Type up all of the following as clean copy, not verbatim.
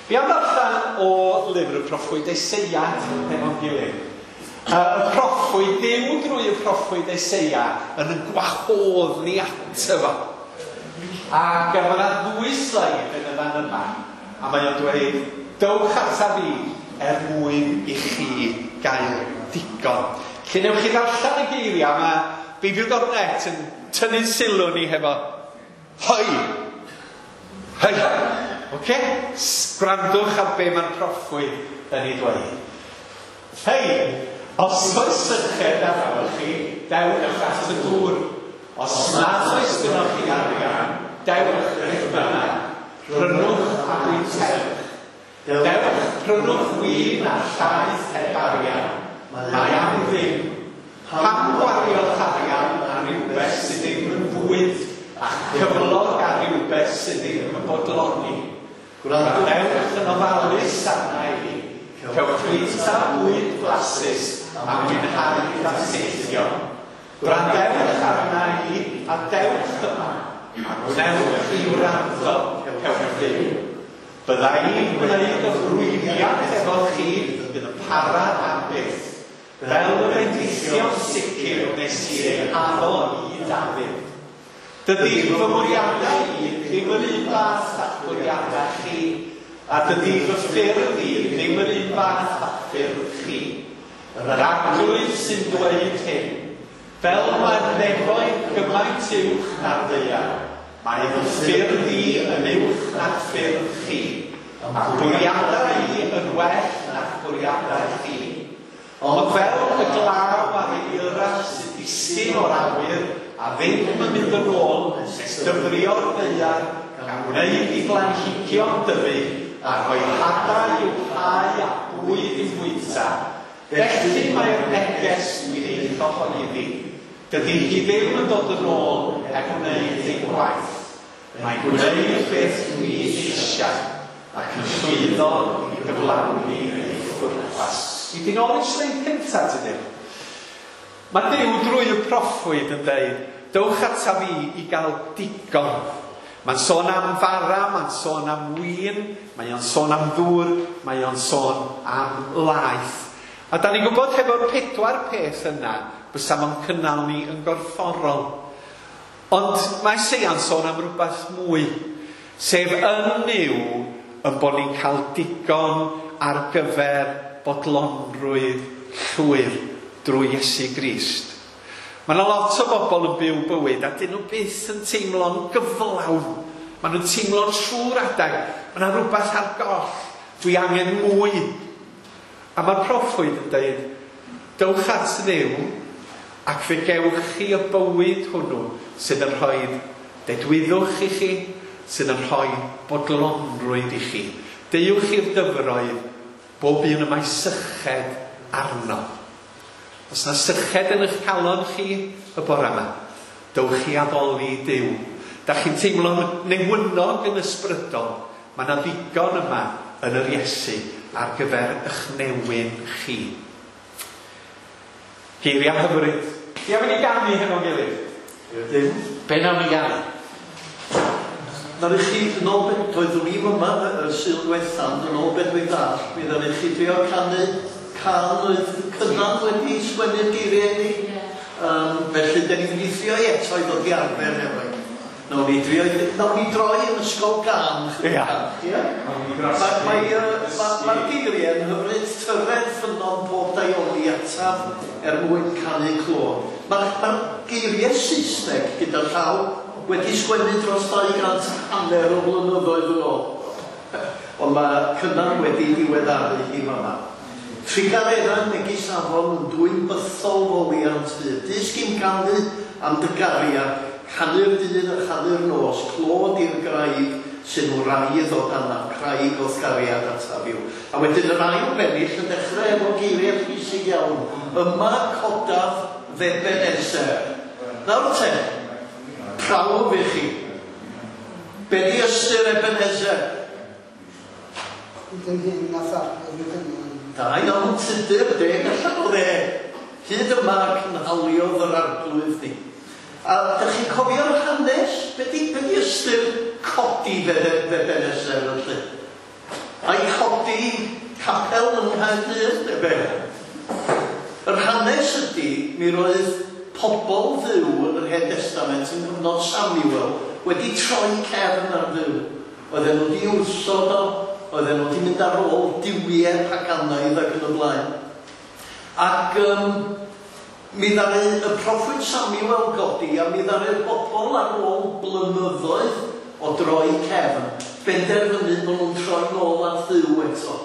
Fi am ddarllen o lyfr y proffwyd Eseia hefo'n gilydd. Y proffwyd, Duw drwy y proffwyd Eseia yn yn gwahodd ni ato fo. Ac mae yna ddwy sleid yn y fan yma, a mae o'n dweud, dowch ata fi er mwyn i chi gael digon. Lle newch chi ddarllen y geiriau, mae Beibl.net yn tynnu sylw ni hefo hoi, hei. Oce? Gwrandwch ar be mae'r proffwyd yn ei dweud. Hei, os oes syched arnoch chi, dewch at y dŵr. Os nad oes gynnoch chi arian, dewch beth bynnag. Prynwch a bwytewch. Dewch, prynwch win a llaeth heb arian. Mae am ddim. Pam gwario'ch arian ar rywbeth sydd ddim yn fwyd a cyflog ar rywbeth sydd ddim yn bodloni? Gwrandewch yn ofalus arna i. Cewch fwyta bwyd blasus a mwynhau danteithion. Gwrandewch arna i a dewch yma, a gwnewch i wrando, cewch fyw. Bydda i'n gwneud ymrwymiad efo chi bydd yn para am byth, fel y bendithion sicr wnes i eu haddo i Dafydd. Dydy fy mwriadau i ddim yr un fath â'ch bwriadau chi, a dydy fy ffyrdd i ddim yr un fath â'ch ffyrdd chi. Yr Arglwydd sy'n dweud hyn. Fel mae'r nefoedd gymaint uwch na'r ddaear, mae fy ffyrdd i yn uwch na'r ffyrdd chi, a'ch bwriadau i yn well na'ch bwriadau chi. Ond fel y glaw a'r eira sy'n disgyn o'r awyr a ddim yn mynd yn ôl nes dyfrio'r ddaear gan wneud i blanhigion dyfu a rhoi hadau i'w hau a bwyd i'w fwyta, felly mae'r neges dwi'n ei chyhoeddi. Dydy hi ddim yn dod yn ôl heb wneud ei gwaith. Mae'n gwneud beth dwi eisiau ac yn llwyddo i gyflawni ei phwrpas. I di nôl i'r sleid cyntaf, ti ddim? Mae Duw drwy y proffwyd yn dweud, dewch ata fi i gael digon. Mae'n sôn am fara, mae'n sôn am win, mae o'n sôn am ddŵr, mae o'n sôn am laeth. A da ni'n gwybod hefo'r 4 peth yna, bysa fo'n cynnal ni yn gorfforol. Ond mae Eseia'n sôn am rhywbeth mwy, sef yn Nuw yn bod ni'n cael digon ar gyfer bodlonrwydd llwyr drwy Iesu Grist. Mae yna lot o bobl yn byw bywyd a dyn nhw byth yn teimlo'n gyflawn. Maen nhw'n teimlo'n trwy'r adeg. Mae yna rhywbeth ar goll. Dwi angen mwy. A mae'r proffwyd yn dweud, dewch at Dduw ac fe gewch chi y bywyd hwnnw sydd yn rhoi dedwyddwch i chi, sydd yn rhoi bodlonrwydd i chi. Deuwch i'r dyfroedd, bob un y mae syched arno. Os na syched yn eich calon chi y bore yma, dewch i addoli Duw. Da chi'n teimlo'n newynog yn ysbrydol, mae yna ddigon yma yn yr Iesu ar gyfer eich newyn chi. Geiriau hyfryd. Ti am i ni ganu hefo'n gilydd? Ydyn. Be nawn ni ganu? Nawn i chi, yn ôl be, doeddwn i'm yma y Sul diwetha, ond yn ôl be dwi'n ddall, mi ddaru chi drio canu cân oedd Cynan wedi sgwennu'r geiriau iddi. Felly, dan ni'n mynd i drio i eto i ddod i arfer efo hi. Nawn ni drio, nawn ni droi yn ysgol gân chydig bach, ia? Mae'r geiriau yn hyfryd, tyred ffynnon pob daioni ataf er mwyn canu clod. Mae'r geiriau Saesneg gyda llaw wedi sgwennu dros 250 o flynyddoedd yn ôl. Ond mae Cynan wedi diweddaru hi fama. Trugarerau megis afon yn dwyn bythol foliant hyd. Dysg i'm ganu am dy gariad, canu'r dydd a chanu'r nos, clod i'r graig sy'n wraidd o danaf, craig o'th gariad ataf yw. A wedyn yr ail bennill yn dechrau efo geiriau pwysig iawn. Yma codaf f'Ebenezer. Nawr te, prawf i chi. Be di ystyr Ebenezer? Hyd yn hyn nath Arglwydd y dynion. Da iawn Tudur, deg allan o ddeg. Hyd yma cynhaliodd yr Arglwydd ni. A dych chi'n cofio'r hanes? Be di, be di ystyr codi f'Ebenezer felly? A'i Nghaerdydd, neu be? Yr hanes ydy, mi roedd pobl Dduw yn yr Hen Destament yng nghyfnod Samuel wedi troi cefn ar Dduw. Oedden nhw wedi wrthod o, oedden nhw wedi mynd ar ôl duwiau paganaidd ac yn y blaen. Ac mi ddaru y proffwyd Samuel godi a mi ddaru'r bobl ar ôl blynyddoedd o droi cefn benderfynu bod nhw'n troi nôl at Dduw eto.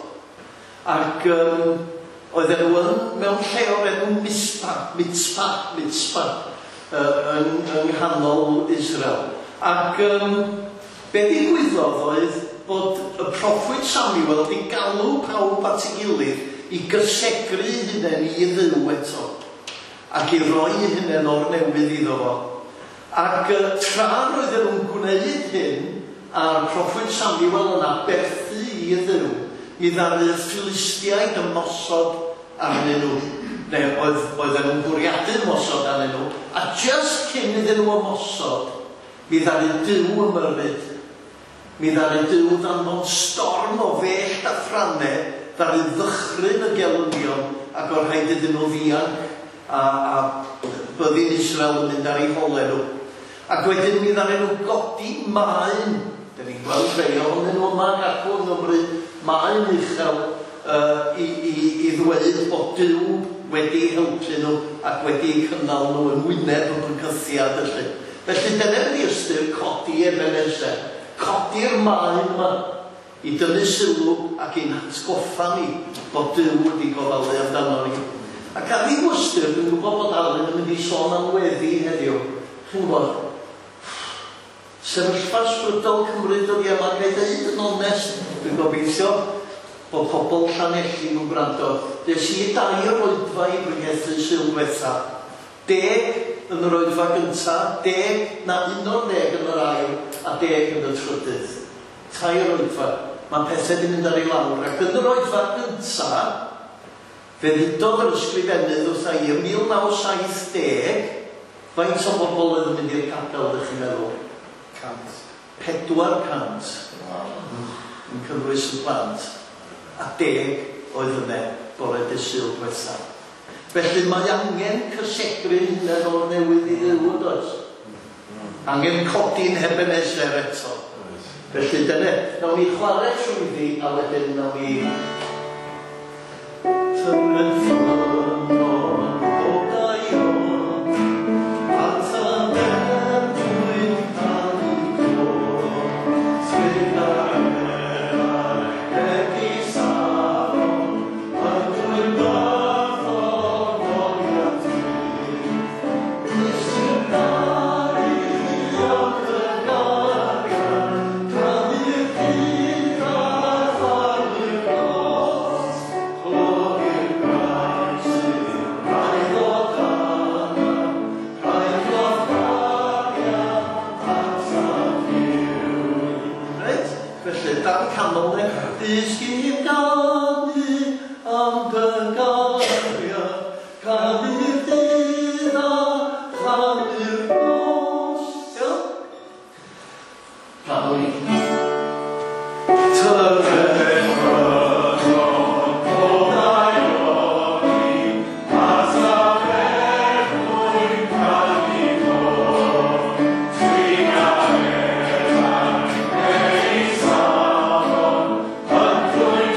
Ac oedden nhw yn, mewn lle o'r enw Mispa, Mitzpa, Mitzpa, yng nghanol Israel. Ac be ddigwyddodd oedd bod y proffwyd Samuel wedi galw pawb at ei gilydd i gysegru eu hunain i Dduw eto, ac i roi eu hunain o'r newydd iddo fo. Ac tra roedden nhw'n gwneud hyn, a'r proffwyd Samuel yn aberthu i Dduw, mi ddaru'r Philistiaid ymosod arnyn nhw. Neu oedden nhw'n bwriadu ymosod arnyn nhw, a just cyn iddyn nhw ymosod, mi ddaru Duw ymyrryd. Mi ddaru Duw ddanfon storm o fellt a thrannau, ddaru ddychryn y gelynion, ac oedd rhaid iddyn nhw ddianc, a byddin Israel yn mynd ar eu holau nhw. Ac wedyn mi ddaru nhw godi maen, dan ni'n gweld rhai ohonyn nhw yma ac acw yng Nghymru, maen uchel i ddweud bod Duw wedi helpu nhw ac wedi eu cynnal nhw yn wyneb y bygythiad felly. Felly dyna ydy ystyr codi Ebenezer, codi'r maen yma i dynnu sylw ac i'n hatgoffa ni bod Duw wedi gofalu amdano ni. Ac ar ryw ystyr, dwi'n gwybod bod Alun yn mynd i sôn am weddi heddiw. Chi'n gwybod, sefyllfa ysbrydol Cymru dyddiau yma, ga i ddeud yn onest, dwi'n gobeithio bod pobl Llanelli yn gwrando. Des i dair oedfa i bregethu Sul dwetha. 10 yn yr oedfa gynta, 10 na 11 yn yr ail, a 10 yn y trydydd. Tair oedfa. Mae pethau wedi mynd ar ei lawr. Ac yn yr oedfa gynta, fe ddudodd yr ysgrifennydd wrtha i ym 1970, faint o bobl oedd yn mynd i'r capel, ydych chi'n meddwl? 100. 400. Yn cynnwys y plant. A 10 oedd yna bore dydd Sul dwetha. Felly mae angen cysegru hunain o'r newydd i Dduw, yn does? Angen codi'n Ebenezer eto. Felly dyna, nawn ni chwarae trwyddi a wedyn nawn ni Tyred ffynnon pob daioni, at aberthwyd canu clod, Trugaredd megis afon, yn dwyn bythol goliant byth. Disgyn garu ac y gariad, canu'r dydd a chanu'r nos, clod i'r graig sydd braidd o danau, rhaid o'th gariad ataf fyw. Reit, felly, dan canol ne, disgyn ganu am dy gariad, canu'r dydd a chanu'r nos. Iawn? Canol ni. Tyred ffynnon pob daioni, at aberthwyd canu clod, Trugaredd megis afon, yn dwyn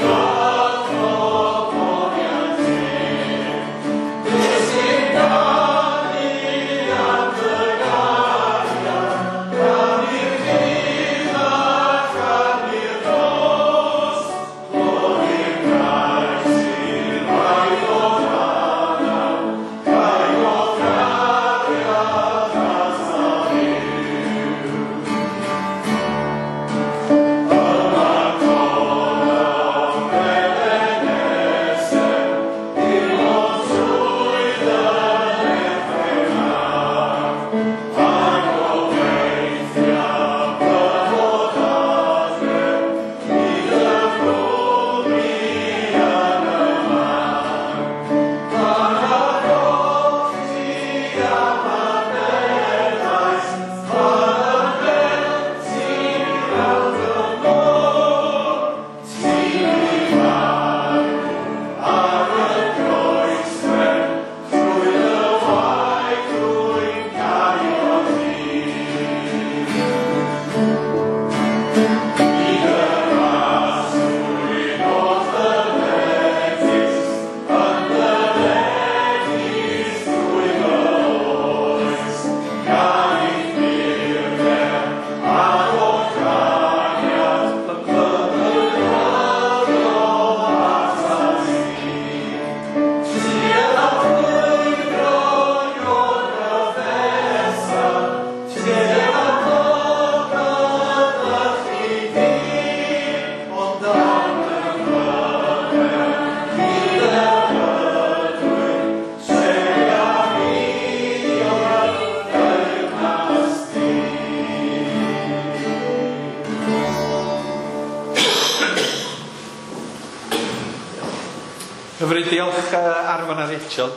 Hyfryd, diolch Arfon a Rachel,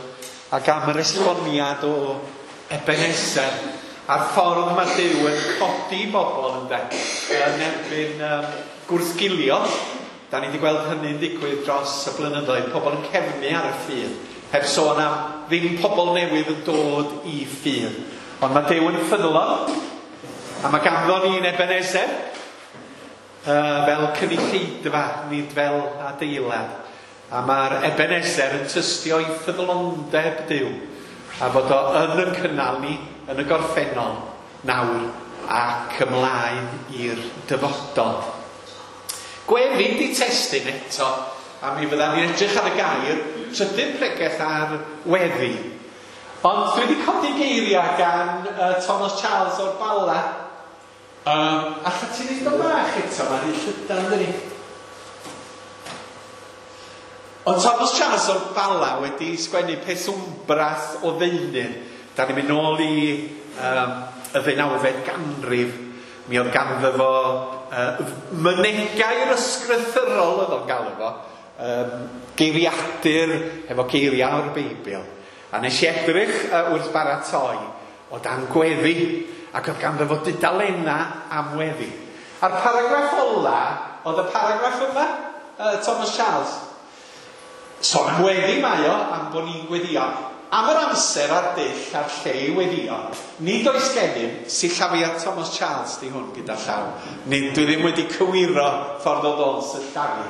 ac am yr esboniad o Ebenezer a'r ffordd mae Duw yn codi bobl ynde, yn erbyn gwrthgilio. Da ni wedi gweld hynny'n digwydd dros y blynyddoedd, pobl yn cefnu ar y ffydd, heb sôn am ddim pobl newydd yn dod i ffydd. Ond mae Duw yn ffyddlon, a mae ganddo ni'n Ebenezer, fel cynulleidfa, nid fel adeilad. A mae'r Ebenezer yn tystio i ffyddlondeb Duw, a fod o yn yn cynnal ni yn y gorffennol, nawr ac ymlaen i'r dyfodol. Gweddi di testun eto, a mi fyddan ni'n edrych ar y gair trydydd pregeth ar weddi. Ond dwi wedi codi geiriau gan Thomas Charles o'r Bala. Allet ti wneud o bach eto, mae'n rhy llydan, dydi? Ond Thomas Charles o'r Bala wedi sgwennu peth wmbrath o ddeunydd. Da ni'n mynd nôl i y ddeunawfed ganrif. Mi oedd ganddo fo mynegau'r ysgrythyrol oedd o'n galw fo, geiriadur efo geiriau o'r Beibl. A nes i edrych wrth baratoi o dan gweddi, ac oedd ganddo fo dudalennau am weddi. A'r paragraff ola oedd y paragraff yma, Thomas Charles. Sôn am weddi mae o, am bod ni'n gweddio. Am yr amser a'r dull a'r lle i weddio, nid oes gennym sillafiad Thomas Charles di hwn gyda llaw. Nid, dwi ddim wedi cywiro ffordd o ddod sillafu.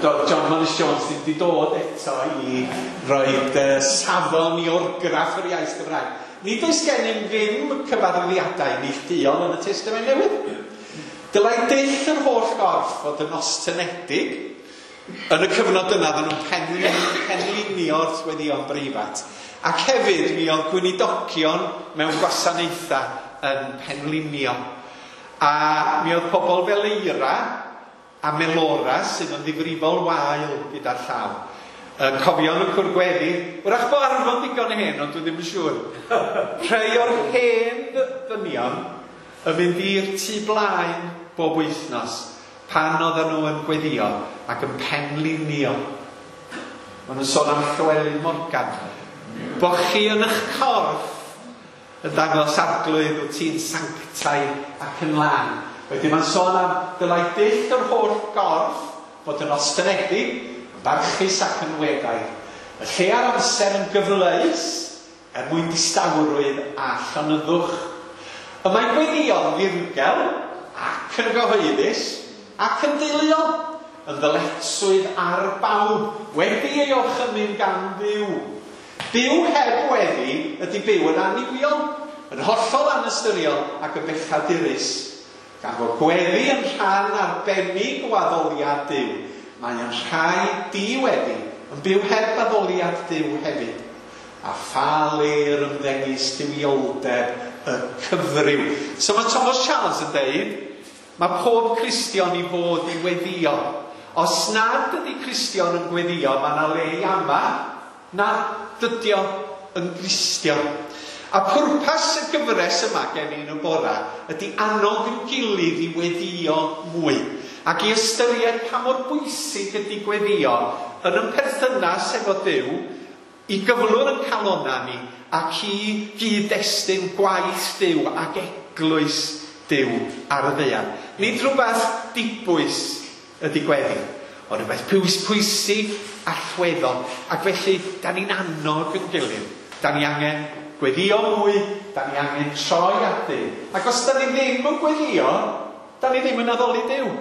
John Morris Jones ddim wedi dod eto i roed safon i orgraff yr iaith Gymraeg. Nid oes gennym ddim cyfarwyddiadau neilltuol yn y Testament Newydd. Dylai dull yr holl gorff fod yn ostynedig. Yn y cyfnod yna, oedden nhw'n penlinio'r weddïon breifat. Ac hefyd, mi oedd gweinidogion mewn gwasanaethau yn penlinio. A mi oedd pobl fel Eira a Melora sydd yn ddifrifol wael gyda'r llaw. Cofion y cwr gweddi, wrach bod Arfon digon hen, ond dwi ddim yn siŵr. Rhai o'r hen ddynion yn mynd i'r tŷ blaen bob wythnos pan oedden nhw yn gweddio ac yn penlinio. Maen nhw'n sôn am Llywelyn Morgan. Bo chi yn eich corff yn dangos arglwydd wyt ti'n sanctaidd ac yn lân. Wedyn mae'n sôn am dylai dull yr holl gorff fod yn ostynedig, yn barchus ac yn weddaidd. Y lle a'r amser yn gyfleus er mwyn distawrwydd a llonyddwch. Y mae gweddïo'n ddirgel ac yn gyhoeddus ac yn deuluol, yn ddyletswydd ar bawb, wedi ei orchymyn gan Dduw. Byw heb weddi ydy byw yn annuwiol, yn hollol anystyriol ac yn bechadurus. Gan fod gweddi yn rhan arbennig o addoliad Duw, mae yn rhaid diweddi yn byw heb addoliad Duw hefyd. A pha le'r ymddengys duwioldeb y cyfryw. So mae Thomas Charles yn deud, mae pob Cristion i fod i weddio. Os nad ydy Cristion yn gweddio, mae yna le i ama na dydio yn Gristion. A pwrpas y gyfres yma gen i yn y bora ydy annog yn gilydd i weddio mwy ac i ystyried pa mor bwysig ydy gweddio yn y perthynas efo Duw, i gyflwr yn calonna ni ac i gyd-destun gwaith Duw ac eglwys Duw ar y ddaear. Nid rhywbeth dibwys ydy gweddi, ond rhywbeth pwysig allweddol. Ac felly, da ni'n annog yn gilydd. Da ni angen gweddio mwy, da ni angen troi at Dduw. Ac os da ni ddim yn gweddio, da ni ddim yn addoli Duw.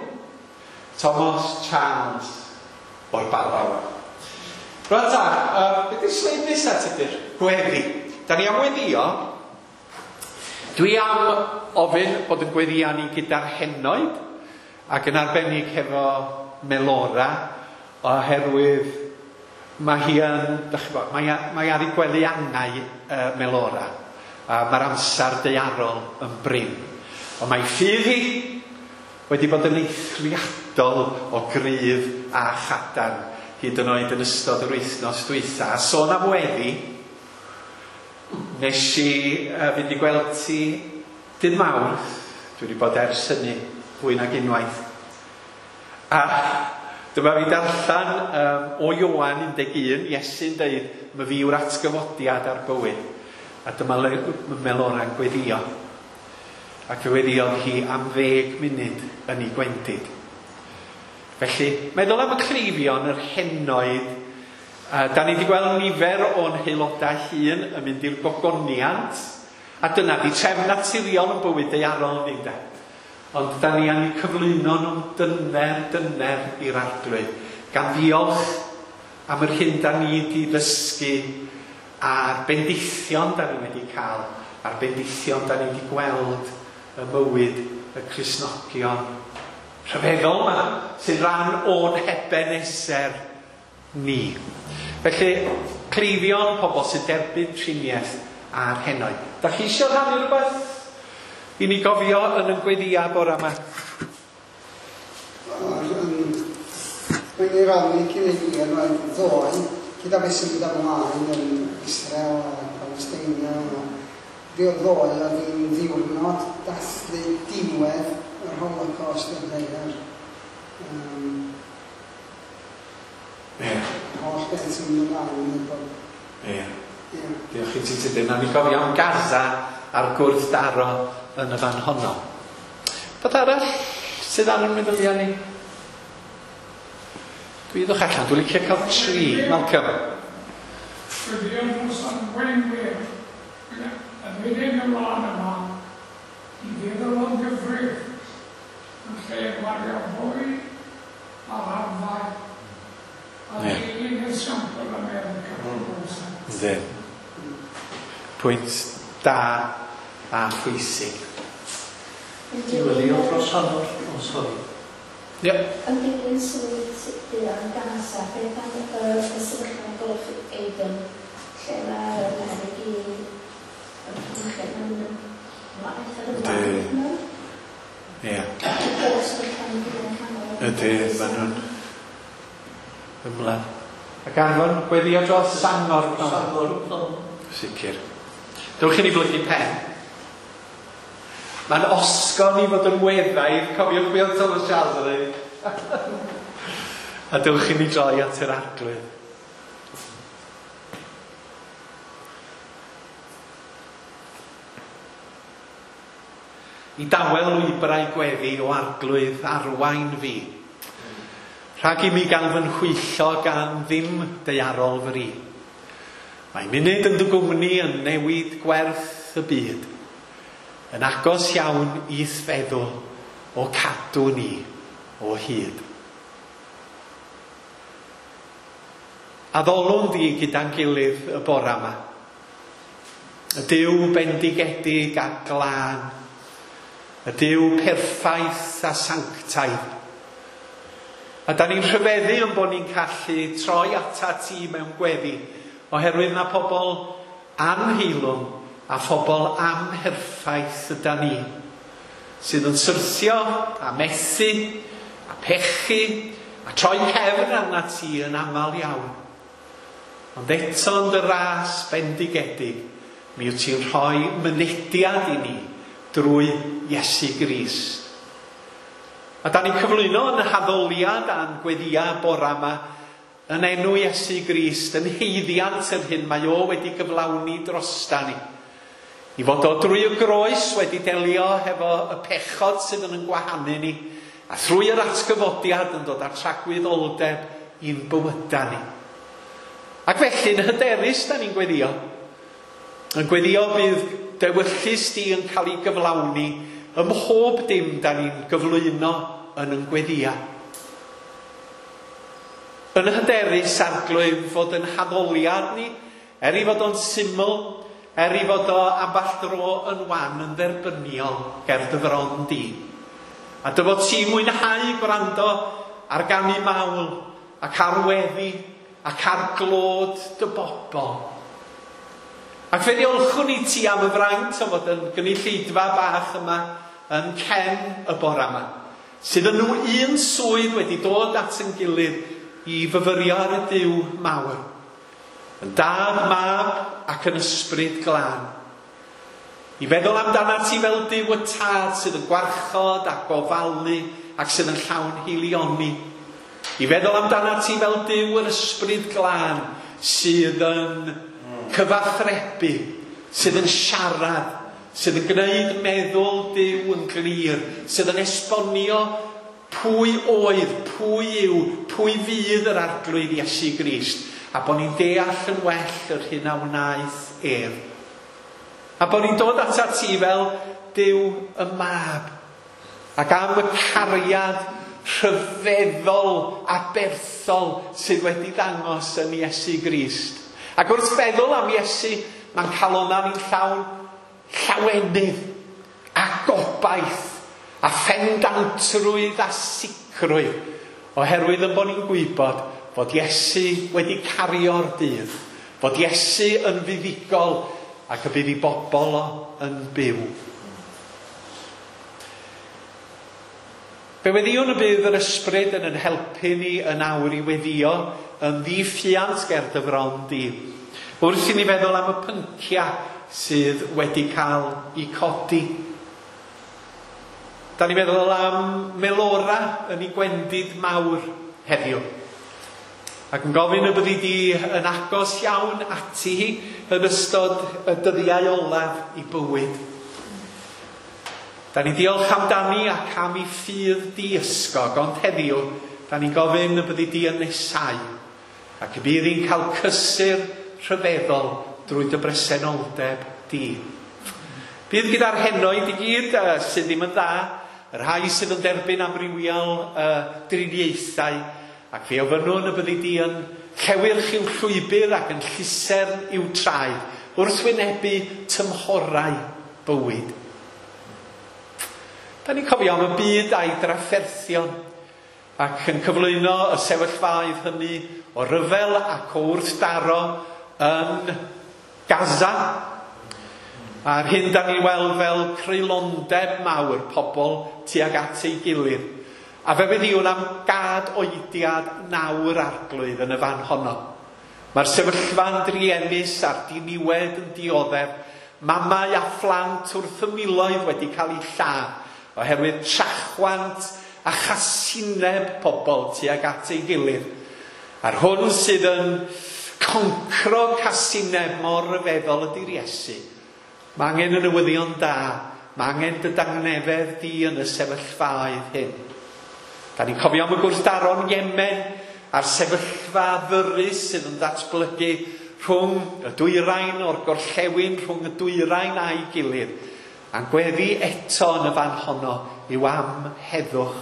Thomas Charles o'r Bala. Rwan ta, beth yw'r sleid nesaf tydy'r? Gweddi. Da ni am weddio. Dwi am ofyn bod yn gweddio ni gyda'r henoed ac yn arbennig hefo Melora, oherwydd mae hi yn, dach chi'n gwbod, mae ar ei gwely angau Melora, a mae'r amser daearol yn brin. Ond mae ffydd hi wedi bod yn eithriadol o gryf a chadarn, hyd yn oed yn ystod yr wythnos dwytha. A sôn am weddi, nes i fynd i gweld ti dydd Mawrth, dwi wedi bod ers hynny fwy nag unwaith. A Dyma fi darllen o Ioan 11, Iesu'n deud, "My fi yw'r atgyfodiad a'r bywyd." A dyma Melora'n gweddio. Ac fe weddiodd hi am 10 munud yn ei gwendid. Felly, meddwl am y cleifion, yr henoed, da ni wedi gweld nifer o'n haelodau hun yn mynd i'r gogoniant, a dyna di trefn naturiol yn bywyd daearol ni, de. Ond da ni angen cyflwyno nhw'n dyner, dyner i'r Arglwydd, gan ddiolch am yr hyn da ni wedi ddysgu a'r bendithion da ni wedi cael, a'r bendithion da ni wedi gweld y mywyd y Cristnogion rhyfeddol yma, sy'n rhan o'n Ebeneser ni. Felly, cleifion, pobl sy'n derbyn triniaeth a'r henoed. Da chi eisiau rhannu rhywbeth i ni gofio yn y gweddia bore yma? Mae'n ei rannu cyn ei hir, mae'n ddoe, gyda beth sy'n mynd ymlaen yn Israel a Palestina. Ddoe oedd hi'n ddiwrnod dathlu diwedd yr Holocaust yn ddaear. Holl beth sy'n mynd ymlaen yn bod. Ie. Diolch i ti Tudur. Nawn ni gofio am Gaza a'r gwrthdaro yn y fan honno. Beth arall sydd ar yn meddyliau ni? Dwi ddwch allan, dwi'n licio cael 3. Malcolm. Gweddio dros arweinwyr yn wedyn y wlad yma i feddwl o'n gyfrif yn lle gwario fwy ar arfau a dilyn esiampl America. Yndi. Pwynt da a phwysig. Diweddio dros hanner, oh sorry. Ie. Yn dilyn swydd yn Gaza, beth am y sefyllfa yn Gulf Aden, lle mae'r peryg i ymchwil yn Ydy. Ie. Ydy, maen nhw'n ymlaen. Ac Arfon, gweddio dros Sangor. Sangor. Sicr. Dewch i ni blygu pen. Mae'n osgo ni fod yn weddaidd, cofiwch be oedd Thomas Charles yn dweud. A dewch i ni droi at yr Arglwydd. I dawel lwybrau gweddi o Arglwydd arwain fi. Rhag i mi gael fy nhwyllo gan ddim daearol fri. Mae munud yn dy gwmni yn newid gwerth y byd. Yn agos iawn i'th feddwl o cadw ni o hyd. Addolwn di gyda'n gilydd y bora yma. Y Duw bendigedig a glân. Y Duw perffaith a sanctaidd. A da ni'n rhyfeddu yn bod ni'n gallu troi ata ti mewn gweddi, oherwydd na pobl anheilwng a phobl amherffaith yda ni, sydd yn syrthio a methu a pechu a troi cefn arna ti yn aml iawn. Ond eto yn dy ras bendigedig, mi wyt ti'n rhoi mynediad i ni drwy Iesu Grist. A da ni'n cyflwyno yn haddoliad a'n gweddia bora yma yn enw Iesu Grist, yn haeddiant yr hyn mae o wedi gyflawni drosta ni. I fod o drwy y groes wedi delio hefo y pechod sydd yn gwahanu ni, a thrwy yr atgyfodiad yn dod â'r tragwyddoldeb i'n bywyda ni. Ac felly yn hyderus da ni'n gweddio. Yn gweddio bydd dewyllys di yn cael ei gyflawni ym mhob dim da ni'n gyflwyno yn yn gweddia. Yn hyderus Arglwydd fod yn haddoliad ni, er i fod o'n syml, er i fod o ambell dro yn wan, yn dderbyniol ger dy fron di. A dy fod ti'n mwynhau gwrando ar ganu mawl ac ar weddi ac ar glod dy bobl. Ac fe ddiolchwn i ti am y fraint o fod yn gynulleidfa bach yma yn cen y bora yma, sydd yn nhw un swydd wedi dod at yn gilydd i fyfyrio ar y Duw mawr. Yn dad, mab ac yn ysbryd glân. I feddwl amdana ti fel Duw y tad sydd yn gwarchod a gofalu ac sydd yn llawn hilioni. I feddwl amdana ti fel Duw yr Ysbryd Glân sydd yn cyfathrebu, sydd yn siarad, sydd yn gwneud meddwl Duw yn glir, sydd yn esbonio pwy oedd, pwy yw, pwy fydd yr Arglwydd Iesu Grist, a bod ni'n deall yn well yr hyn a wnaeth ef. A bod ni'n dod atat ti fel Duw y Mab, ac am y cariad rhyfeddol aberthol sydd wedi ddangos yn Iesu Grist. Ac wrth feddwl am Iesu, mae'n calonnau ni'n llawn llawenydd a gobaith a phendantrwydd a sicrwydd, oherwydd yn bod ni'n gwybod fod Iesu wedi cario'r dydd, fod Iesu yn fuddugol ac y bydd ei bobl o yn byw. Fe weddïwn y bydd yr Ysbryd yn ein helpu ni yn awr i weddïo yn ddiffuant ger dy fron di, wrth i ni feddwl am y pynciau sydd wedi cael eu codi. Da ni'n meddwl am Melora yn ei gwendid mawr heddiw, ac yn gofyn y byddi di yn agos iawn ati hi yn ystod y dyddiau olaf i bywyd. Da ni'n diolch amdani ac am ei ffydd diysgog, ond heddiw, da ni'n gofyn y byddi di yn nesau, ac y bydd hi'n cael cysur rhyfeddol drwy dy bresenoldeb di. Bydd gyda'r henoed i gyd sydd ddim yn dda, y rhai sydd yn derbyn amrywiol driniaethau, ac fe ofynnwn y byddi di yn llewyrch i'w llwybr ac yn llusern i'w traed, wrth wynebu tymhorau bywyd. Da ni'n cofio am y byd a'i drafferthion, ac yn cyflwyno y sefyllfaoedd hynny o ryfel ac o wrthdaro yn Gaza, a'r hyn da ni'n weld fel creulondeb mawr pobl tuag at ei gilydd. A fe weddïwn am gad oediad nawr Arglwydd yn y fan honno. Mae'r sefyllfa'n druenus a'r diniwed yn dioddef, mamau a phlant wrth y miloedd wedi cael eu lladd oherwydd trachwant a chasineb pobl tuag at ei gilydd. A'r hwn sydd yn concro casineb mor ryfeddol ydy'r Iesu. Mae angen y newyddion da, mae angen dy dangnefedd di yn y sefyllfaoedd hyn. Da ni'n cofio am y gwrthdaro'n Yemen a'r sefyllfa ddyrus sydd yn datblygu rhwng y dwyrain o'r gorllewin, rhwng y dwyrain a'i gilydd. A'n gweddi eto yn y fan honno yw am heddwch.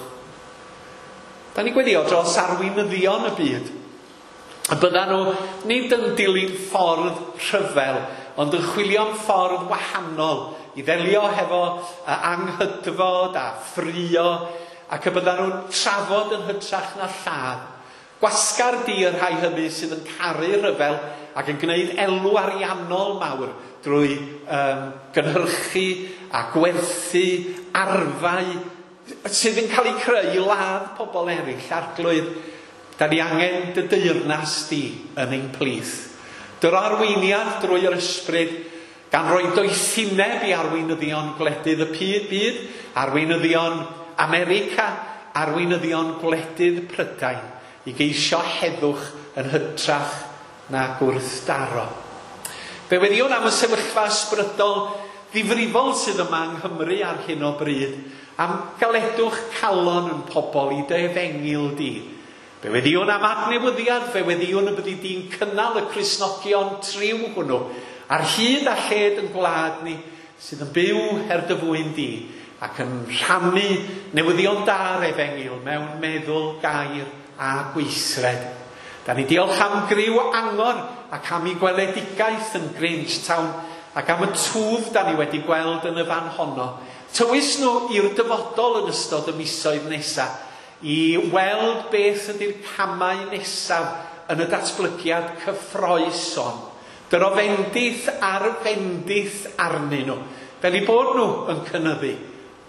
Da ni'n gweddio dros arweinyddion y byd. Y byddan nhw nid yn dilyn ffordd rhyfel, ond yn chwilio am ffordd wahanol i ddelio hefo anghydfod a ffrio, ac y byddan nhw'n trafod yn hytrach na lladd. Gwasgar di y rhai hynny sydd yn caru rhyfel ac yn gwneud elw ariannol mawr drwy gynhyrchu a gwerthu arfau sydd yn cael eu creu i ladd pobl eraill. Arglwydd, da ni angen dy deyrnas di yn ein plith. Dy'r arweiniad drwy yr Ysbryd, gan roi doethineb i arweinyddion gwledydd y byd, arweinyddion America, arweinyddion gwledydd Prydain, i geisio heddwch yn hytrach na gwrthdaro. Fe weddïwn am y sefyllfa ysbrydol ddifrifol sydd yma yng Nghymru ar hyn o bryd, am galedwch calon yn pobl i dy efengyl di. Fe weddïwn am adnewyddiad, fe weddïwn y byddi di'n cynnal y Cristnogion triw hwnnw, ar hyd a lled yn gwlad ni, sydd yn byw er dy fwyn di, ac yn rhannu newyddion da'r efengyl mewn meddwl, gair a gweithred. Da ni diolch am griw angor ac am ei gweledigaeth yn Grangetown ac am y twf da ni wedi gweld yn y fan honno. Tywys nhw i'r dyfodol yn ystod y misoedd nesaf i weld beth ydy'r camau nesaf yn y datblygiad cyffrous hon. Dyro fendith ar fendith arnyn nhw, fel eu bod nhw yn cynyddu,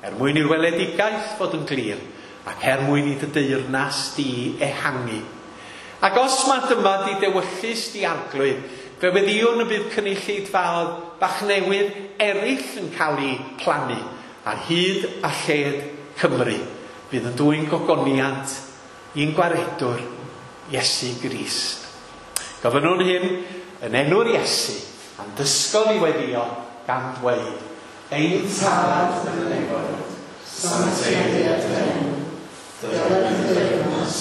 er mwyn i'r weledigaeth fod yn glir, ac er mwyn i dy deyrnas di ehangu. Ac os mae dyma di dewyllys di Arglwydd, fe weddïwn y bydd cynulleidfaoedd bach newydd eraill yn cael eu plannu ar hyd a lled Cymru. Bydd yn dwyn gogoniant i'n gwaredwr Iesu Grist. Gofynnwn hyn yn enw'r Iesu, a'n dysgodd i weddïo gan ddweud, Ein Tad yn y nefoedd, sancteiddied dy enw, dyled dy deyrnas,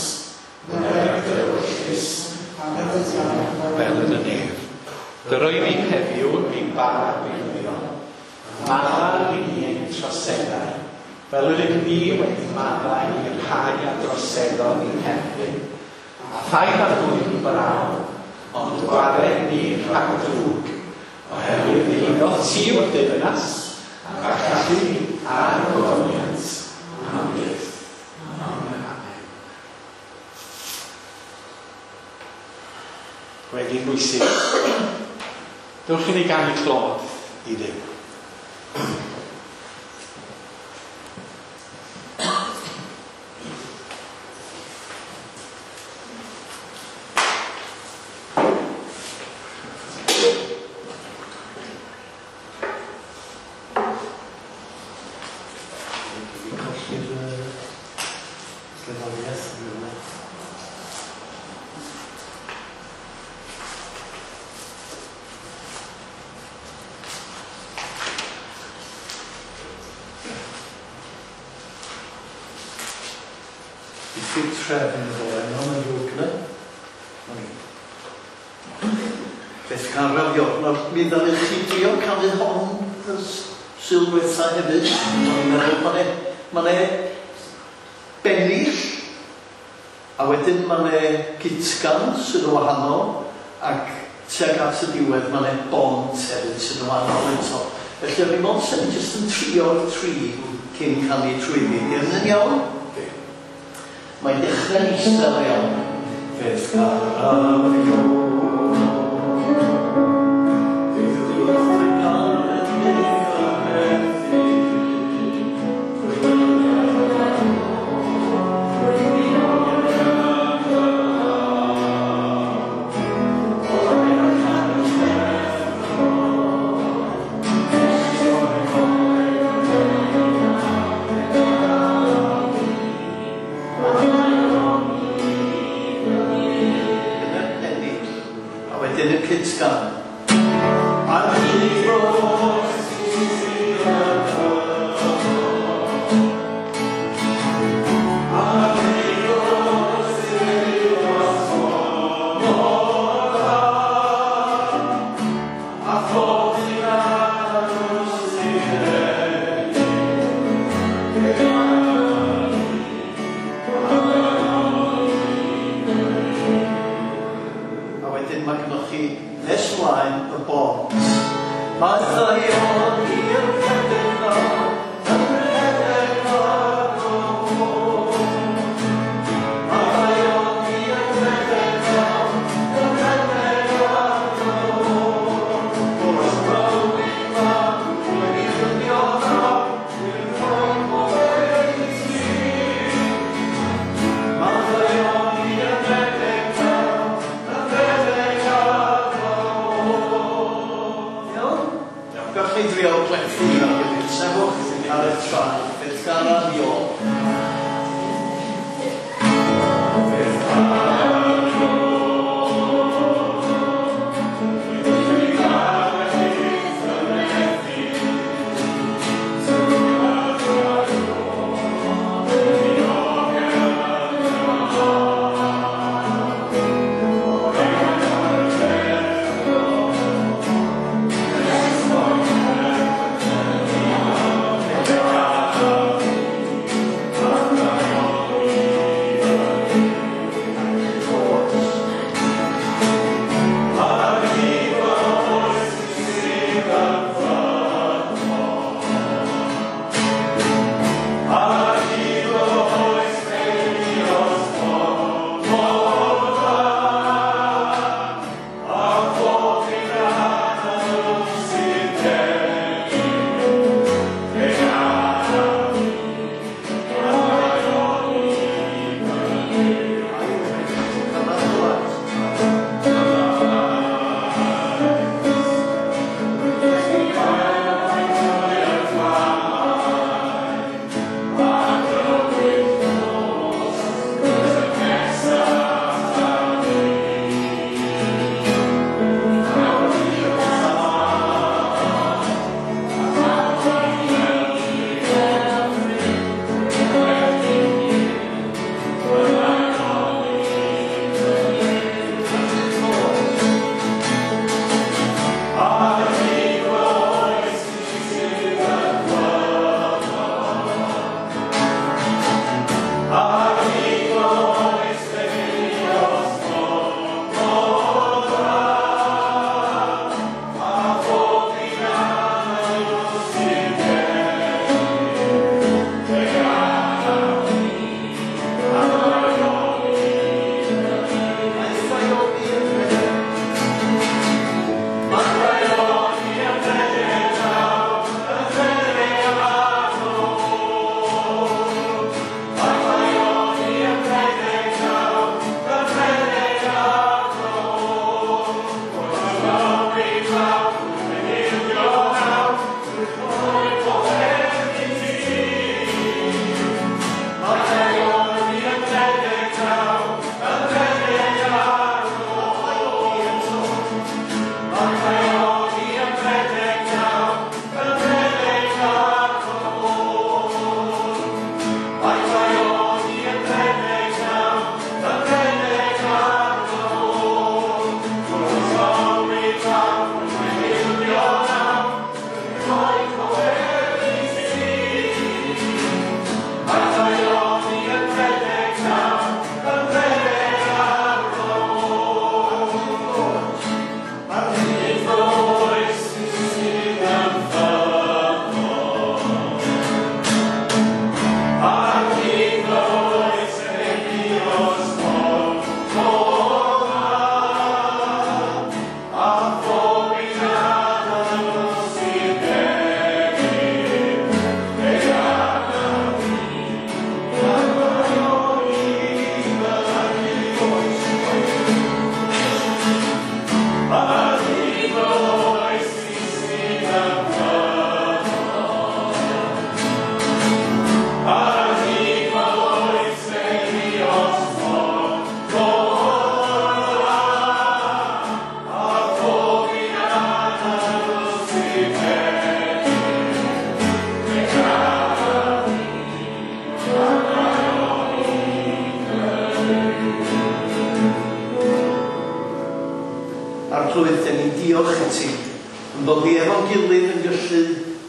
wnel dy ewyllys, ar y ddaear fel yn y nef. Dyroi ni heddiw ein bara beunyddiol, maddau i ni ein troseddau, fel yr ydym ni wedi maddau i'r rhai a droseddodd i'n herbyn, a phaid â dwyn brawd, ond gwared ni rhag drwg, oherwydd eiddo ti yw'r deyrnas, a'r gallu a'r gogoniant, am byth. Amen. Gweddi'n bwysig. Dewch i ni ganu clod i Dduw. Dwi 'di colli'r gerddoriaeth yn rhywle. Diffyg trefn ddoe, no, mae'n ddrwg gyda. Na ni. Beth caraf Ior, nawr mi ddaru chi drio canu hon y Sul dwetha hefyd. O'n i'n meddwl ma' 'ne ma' 'ne bennill a wedyn ma' 'ne gytgan sydd yn wahanol ac tuag at y diwedd ma' 'ne bont hefyd sydd yn wahanol eto. Felly o'n i mond sen i jyst yn trio'r tri cyn canu trwyddi. Ydy hynny'n iawn? Mae'n dechrau'n isel iawn. Fe'th caraf Ior. Dyna'r pennill. A wedyn y cytgan. Ar hyd A wedyn mae gennych chi nes mlaen. Arglwydd, dan ni'n diolch i ti yn bod ni efo'n gilydd yn gallu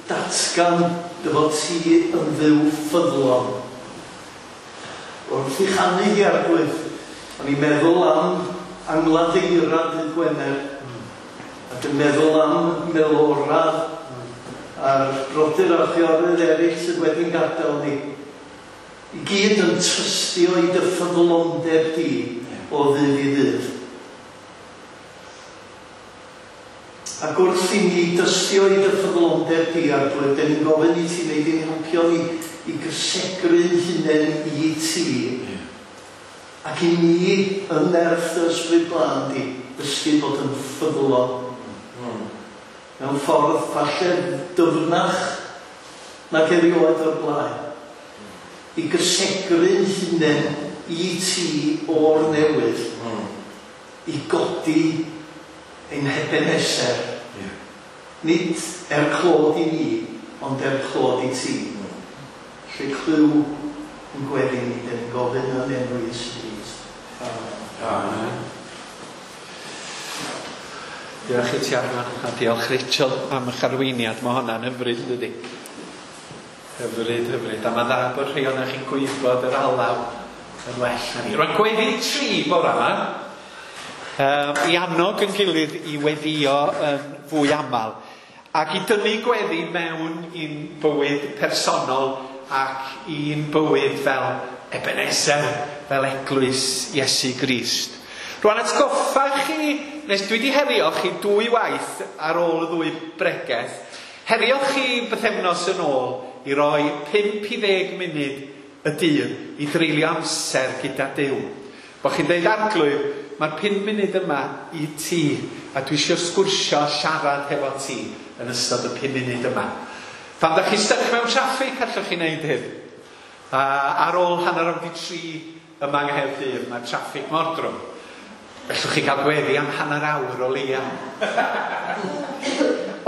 datgan dy fod ti yn Dduw ffyddlon. Wrth i chanu hi, Arglwydd, o'n i'n meddwl am angladd eira dydd Gwener, ac yn meddwl am Melora a'r brodyr a'r chwiorydd eraill sydd wedi'n gadael ni. I gyd yn trystio i dy ffyddlondeb di o ddydd i ddydd. Ac wrth i ni dystio i dy ffyddlondeb di, Arglwydd, dan ni'n gofyn i ti wneud i'n helpio ni i gysegru'n hunain i ti. Ac i ni, yn nerth dy Ysbryd Glân di, ddysgu bod yn ffyddlon. Mewn ffordd falle dyfnach nag erioed o'r blaen. I gysegru'n hunain i ti o'r newydd. I godi ein Hebeneser. Nid er clod i ni, ond er clod i ti. Lle clyw yn gweddi ni, dan ni'n gofyn yn enw Iesu Grist. Amen. Amen. Diolch i ti Arfon, a diolch Rachel am eich arweiniad. Mae hwnna'n hyfryd, yn dydi? Hyfryd, hyfryd. A mae'n dda bod rhai ohonoch chi'n gwybod yr alaw yn well na ni. Rwy'n gweddi tri bore yma. I annog yn gilydd i weddio yn fwy aml ac i dynnu gweddi mewn i'n bywyd personol ac i'n bywyd fel Ebenezer, fel eglwys Iesu Grist. Rwan atgoffa chi, nes dwi wedi herio chi dwy waith ar ôl y ddwy bregeth, herio chi bythefnos yn ôl i roi 5 i 10 munud y dydd i dreulio amser gyda Duw. Bo chi'n deud, Arglwydd, mae'r 5 munud yma i ti, a dwi eisiau sgwrsio siarad hefo ti yn ystod y 5 munud yma. Pan da chi styc mewn traffig, allwch chi wneud hyn. A ar ôl 3:30 yma yng Nghaerdydd, mae'r traffig mor drwm. Gallwch chi gael gweddi am hanner awr o leia.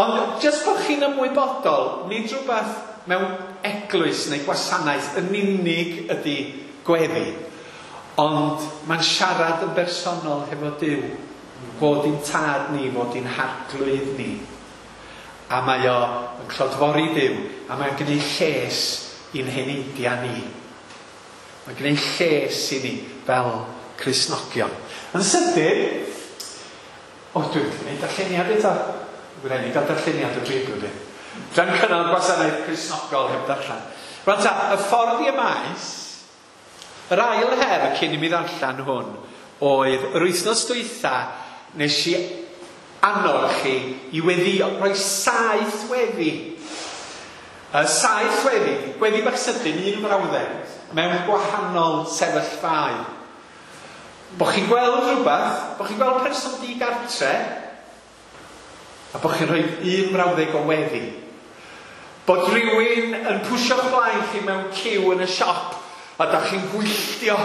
Ond jyst bod chi'n ymwybodol, nid rhywbeth mewn eglwys neu gwasanaeth yn unig ydy gweddi. Ond mae'n siarad yn bersonol hefo Duw, fod i'n tad ni, fod i'n harglwydd ni. A mae o yn clodfori Duw, a mae'n gwneud lles i'n heneidiau ni. Mae'n gwneud lles i ni fel Cristnogion. Yn sydyn, o, dwi'n gwneud darlleniad eto. Dwi'n rhaid i gael darlleniad o bryd, dwi'n. Dwi'n cynnal gwasanaeth Cristnogol heb darllen. Rwan ta, y ffordd i y maes, yr ail her cyn i mi ddarllen hwn oedd yr wythnos dwytha nes i annog chi i weddio, rhoi 7 weddi. 7 weddi, gweddi bach sydyn, un frawddeg, mewn gwahanol sefyllfaoedd. Bo chi'n gweld rhywbeth, bo chi'n gweld person digartre, a bo chi'n rhoi un frawddeg o weddi. Bod rhywun yn pwsio'ch blaen chi mewn ciw yn y siop, a da chi'n gwylltio.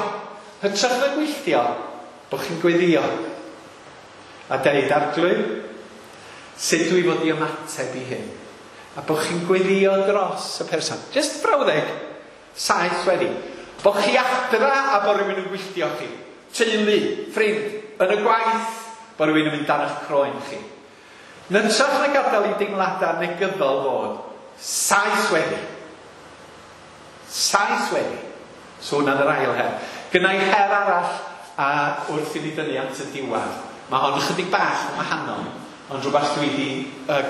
Hytrach na gwylltio, bo chi'n gweddio. A deud, Arglwydd, sut dwi fod i ymateb i hyn? A bo chi'n gweddio dros y person. Just brawddeg, 7 weddi. Bo chi adra a bo rhywun yn gwylltio chi. Teulu, ffrind, yn y gwaith, bo rhywun yn mynd dan eich croen chi. Hytrach na gadael i deimladau negyddol fod, 7 weddi. 7 weddi. So hwnna'n yr ail her. Gynna i her arall a wrth i ni dynnu at y diwedd. Mae hon ychydig bach yn wahanol, ond rhywbeth dwi wedi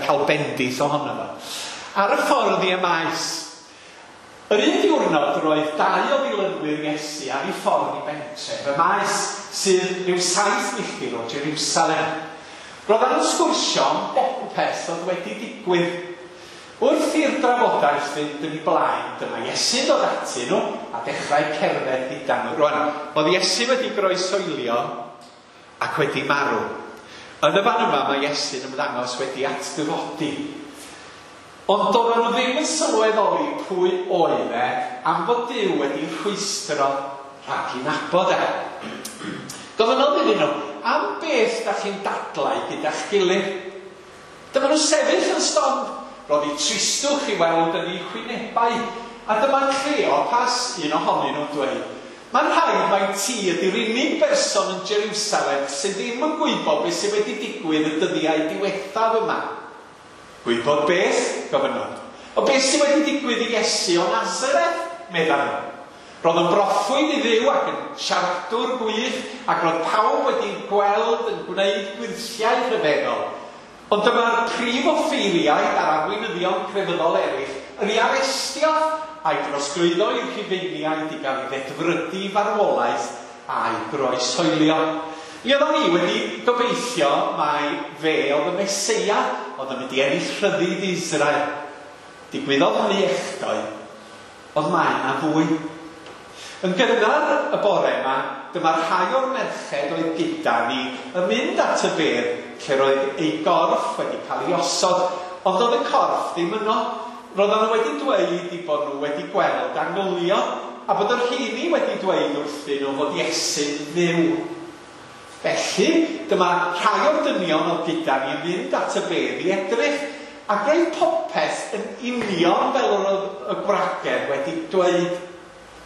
cael bendith ohono fo. Ar y ffordd i y maes, yr un diwrnod roedd 2 o ddilynwyr Iesu ar ei ffordd i bentref, y maes sydd rhyw 7 milltir o Jerusalem. Roedden nhw'n sgwrsio am bopeth oedd wedi digwydd. Wrth i'r drafodaeth fynd yn ei blaen, dyma Iesu'n dod atyn nhw a dechrau cerdded gyda nhw. Rwan, oedd Iesu wedi groesoelio ac wedi marw. Yn y fan yma mae Iesu'n ymddangos wedi atgyfodi. Ond doedden nhw ddim yn sylweddoli pwy oedd e am fod Duw wedi rhwystro rhag i nabod e. Gofynnodd iddyn nhw, am beth da chi'n dadlau gyda'ch gilydd? Dyma nhw sefyll yn stond. Roedd eu tristwch i weld yn eu hwynebau, a dyma Cleopas, un ohonyn nhw'n dweud, Mae'n rhaid mai ti ydy'r unig berson yn Jerusalem sydd ddim yn gwybod beth sydd wedi digwydd y dyddiau diwethaf yma. Gwybod beth? Gofynnodd. O beth sydd wedi digwydd i Iesu o Nazareth? Meddan nhw. Roedd yn broffwyd i Dduw ac yn siaradwr gwych, ac roedd pawb wedi gweld yn gwneud gwyrthiau rhyfeddol. Ond dyma'r prif offeiriaid a'r arweinyddion crefyddol eraill yn ei arestio a'i drosglwyddo i'r Rhufeiniaid i gael ei ddedfrydu i farwolaeth a'i groeshoelio. Mi oeddwn i wedi gobeithio mai fe oedd y Meseia oedd yn mynd i ennill rhyddid i Israel. Digwyddodd hynny echdoe, ond mae yna fwy. Yn gynnar y bore yma, dyma rhai o'r merched oedd gyda ni yn mynd at y bedd lle roedd ei gorff wedi cael ei osod, ond doedd y corff ddim yno. Roedden nhw wedi dweud eu bod nhw wedi gweld angylion, a bod y rheini wedi dweud wrthyn nhw fod Iesu'n fyw. Felly, dyma rhai o'r dynion oedd gyda ni yn mynd at y bedd i edrych, ac roedd popeth yn union fel yr oedd y gwragedd wedi dweud.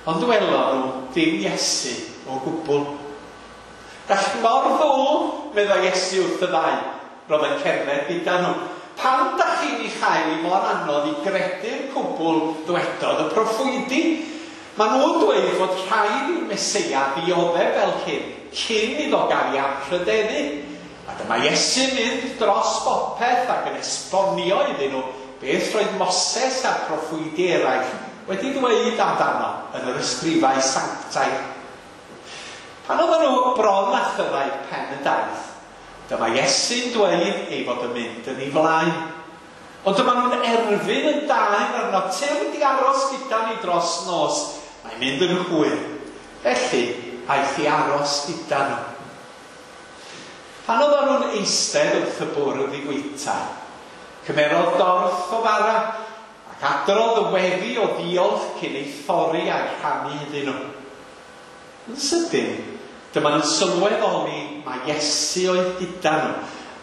Ond welon nhw ddim Iesu o gwbl. Gall mor ddwl, meddai Iesu wrth y ddau, roedd yn cerdded gyda nhw. Pam da chi'n ei chael hi mor anodd i gredu'r cwbl ddwedodd y proffwydi? Maen nhw'n dweud fod rhaid i'r Meseia ddioddef fel hyn cyn iddo gael ei anrhydeddu. A dyma Iesu'n mynd dros bopeth ac yn esbonio iddyn nhw beth roedd Moses a'r proffwydi eraill wedi dweud amdano yn yr ysgrifau sanctaidd. Pan oedden nhw bron â chyrraedd pen y daith, dyma Iesu'n dweud ei fod yn mynd yn ei flaen. Ond dyma nhw'n erfyn yn daer arno, tyrd i aros gyda ni dros nos, mae'n mynd yn hwyr. Felly, aeth i aros gyda nhw. Pan oedden nhw'n eistedd wrth y bwrdd i fwyta, cymerodd dorth o fara ac adrodd y weddi o ddiolch cyn ei thorri a'i rhannu iddyn nhw. Yn sydyn, dyma nhw'n sylweddoli mai Iesu oedd gyda nhw,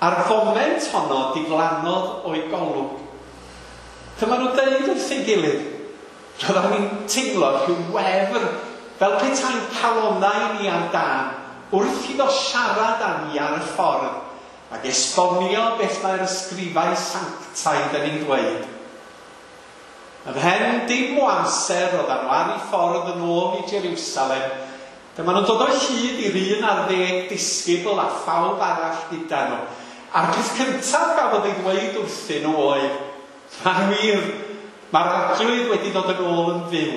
a'r foment honno diflannodd o'i golwg. Dyma nhw'n dweud wrth ei gilydd, roedden ni'n teimlo rhyw wefr fel petai'n calonnau ni ar dân wrth iddo siarad â ni ar y ffordd ac esbonio beth mae'r ysgrifau sanctaidd yn ei ddweud. Ymhen dim o amser roedden nhw ar eu ffordd yn ôl i Jerusalem. Dyma nhw'n dod o hyd i'r 11 disgybl a phawb arall gyda nhw. A'r peth cyntaf gafodd ei ddweud wrthyn nhw oedd, mae'n wir, mae'r Arglwydd wedi dod yn ôl yn fyw.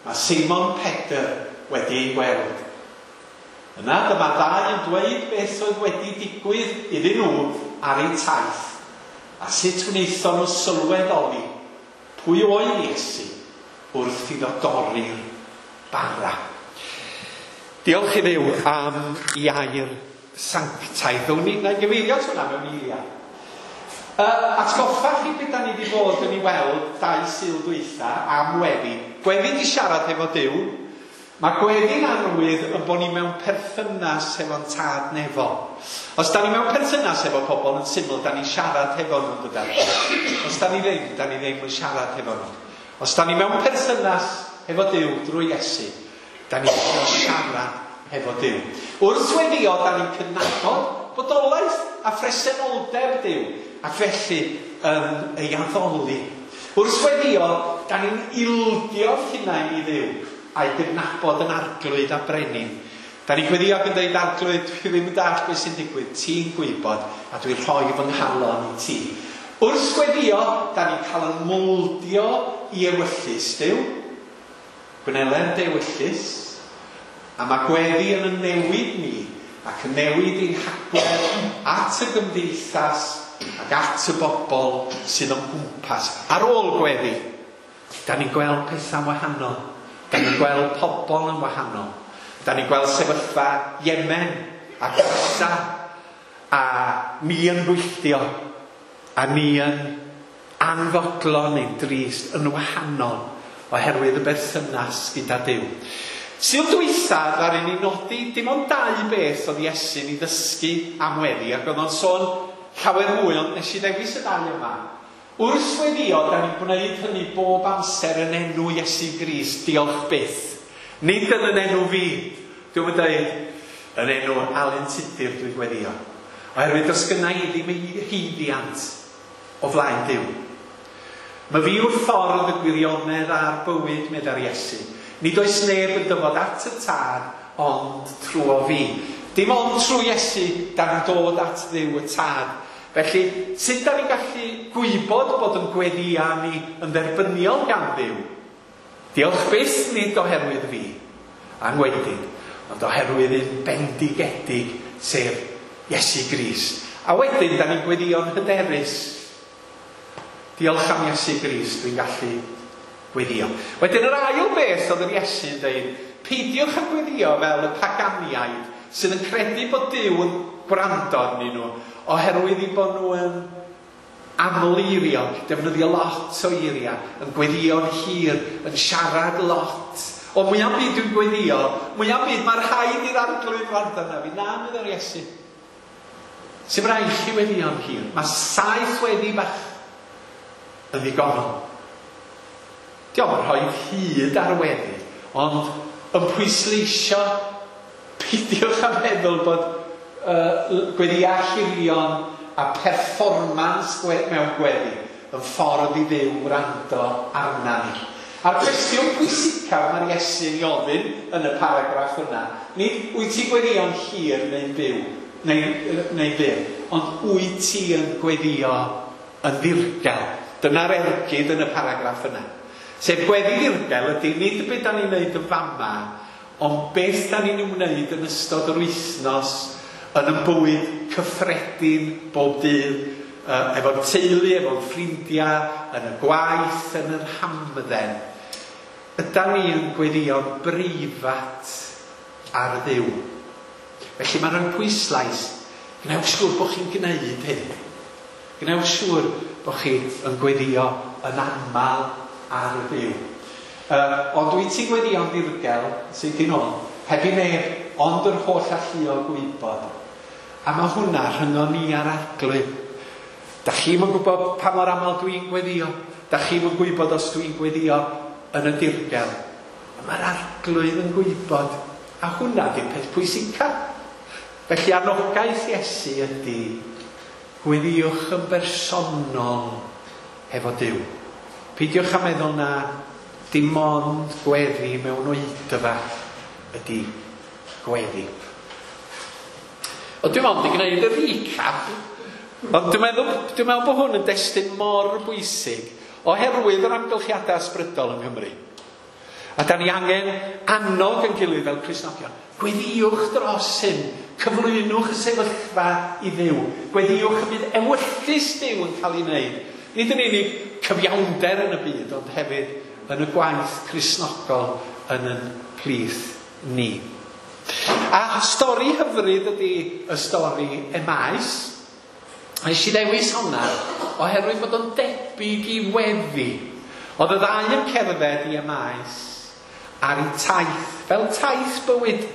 Mae Seimon Pedr wedi ei weld. Yna dyma ddau yn dweud beth oedd wedi digwydd iddyn nhw ar eu taith, a sut wnaethon nhw sylweddoli pwy oedd Iesu wrth iddo dorri'r bara. Diolch i Dduw am ei air sanctaidd. Ddown ni, na i gyfeirio at hwnna mewn eiliad. Atgoffa chi beth da ni wedi bod yn ei weld 2 Sul dwytha am weddi. Gweddi di siarad efo Duw. Mae gweddi'n arwydd yn bod ni mewn perthynas hefo'n tad nefol. Os da ni mewn perthynas efo pobl yn syml, da ni'n siarad hefo nhw'n dydan. Os da ni ddim, da ni ddim yn siarad hefo nhw. Os da ni mewn perthynas hefo Duw drwy Iesu, da ni'n siarad hefo Duw. Wrth weddio, da ni'n cydnabod bodolaeth a phresenoldeb Duw, ac felly yn ei addoli. Wrth weddio, da ni'n ildio'r hunain i Dduw, a'i gydnabod yn arglwydd a brenin. Da ni'n gweddio ac yn dweud, arglwydd, dwi ddim yn dallt beth sy'n digwydd, ti'n gwybod, a dwi'n rhoi fy nghalon i ti. Wrth weddio, da ni'n cael yn mowldio i ewyllys Duw, gwneler dy ewyllys, a mae gweddi yn y newid ni, ac yn newid ein hagwedd at y gymdeithas ac at y bobl sydd o'n gwmpas. Ar ôl gweddi, da ni'n gweld pethau'n wahanol. Da ni'n gweld pobl yn wahanol. Da ni'n gweld sefyllfa Yemen a Gaza, a ni yn gwylltio, a ni yn anfodlon neu'n drist yn wahanol oherwydd y berthynas gyda Duw. Sul dwytha, ddaru ni nodi dim ond 2 beth oedd Iesu'n ei ddysgu am weddi, ac oedd o'n sôn llawer mwy, ond nes i ddewis y ddau yma. Wrth weddio, da ni'n gwneud hynny bob amser yn enw Iesu Grist, diolch byth. Nid yn yn enw fi. Dwi'n mynd dweud yn enw Alun Tudur dwi'n gweddio. Oherwydd does gynna i ddim haeddiant o flaen Duw. Mae fi yw'r ffordd, y gwirionedd a'r bywyd, meddai'r Iesu. Nid oes neb yn dyfod at y Tad ond trwy fi. Dim ond trwy Iesu da ni'n dod at Dduw y Tad. Felly, sut da ni'n gallu gwybod bod yn gweddia ni yn dderbyniol gan Dduw? Diolch byth nid oherwydd fi, angwedig, ond oherwydd un bendigedig, sef Iesu Grist. A wedyn, da ni'n gweddio'n hyderus. Diolch am Iesu Grist, dwi'n gallu gweddio. Wedyn yr ail beth oedd yr Iesu'n dweud, peidiwch â gweddio fel y paganiaid sydd yn credu bod Duw yn gwrando arnyn nhw, oherwydd i bod nhw yn aml-eiriog, defnyddio lot o eiriau, yn gweddio'n hir, yn siarad lot. O, mwyaf byd dwi'n gweddio, mwyaf byd mae'r rhaid i'r Arglwydd wrando arna fi. Na, meddai'r Iesu. Sy'n rhaid chi weddio'n hir. Mae 7 weddi bach yn ddigonol. Diolch yn rhoi hyd ar weddi, ond yn pwysleisio, peidiwch â meddwl bod gweddiau hirion a perfformans mewn gweddi yn ffordd i Dduw wrando arna ni. A'r cwestiwn pwysicaf mae'r Iesu'n ei ofyn yn y paragraff yna, nid wyt ti'n gweddio'n hir neu'n byw, neu fyr, ond wyt ti yn gweddio yn ddirgel. Dyna'r ergyd yn y paragraff yna. Sef gweddi ddirgel ydy nid beth da ni'n neud yn fama, ond beth da ni'n wneud yn ystod yr wythnos yn y bywyd cyffredin bob dydd, efo'r teulu, efo'r ffrindiau, yn y gwaith, yn yr hamdden. Yda ni yn gweddio'n breifat ar Dduw. Felly mae'n rhoi pwyslais, gwnewch siŵr bod chi'n gwneud hyn. Gwnewch siŵr bod chi yn gweddio yn aml ar Dduw. Ond wyt ti'n gweddio'n ddirgel, sydd yn ôl, heb i neb, ond yr holl alluog gwybod. A mae hwnna rhyngon ni a'r Arglwydd. Da chi'm yn gwybod pa mor aml dwi'n gweddio. Da chi'm yn gwybod os dwi'n gweddio yn y dirgel. Mae'r Arglwydd yn gwybod. A hwnna di'r peth pwysica. Felly anogaeth Iesu ydy gweddiwch yn bersonol hefo Duw. Peidiwch â meddwl na dim ond gweddi mewn oedfa ydy gweddi. O, dwi'n ond i gwneud y recap, ond dwi'n meddwl bod hwn yn destun mor bwysig oherwydd yr amgylchiadau ysbrydol yng Nghymru. A da ni angen annog yn gilydd fel Cristnogion. Gweddiwch dros hyn, cyflwynwch y sefyllfa i Dduw. Gweddiwch y bydd ewyllys Duw yn cael ei wneud. Nid yn unig cyfiawnder yn y byd, ond hefyd yn y gwaith Cristnogol yn yn plith ni. A stori hyfryd ydy y stori Emaus. Nes i ddewis hwnna oherwydd bod o'n debyg i weddi. Oedd y ddau yn cerdded i Emaus ar eu taith, fel taith bywyd,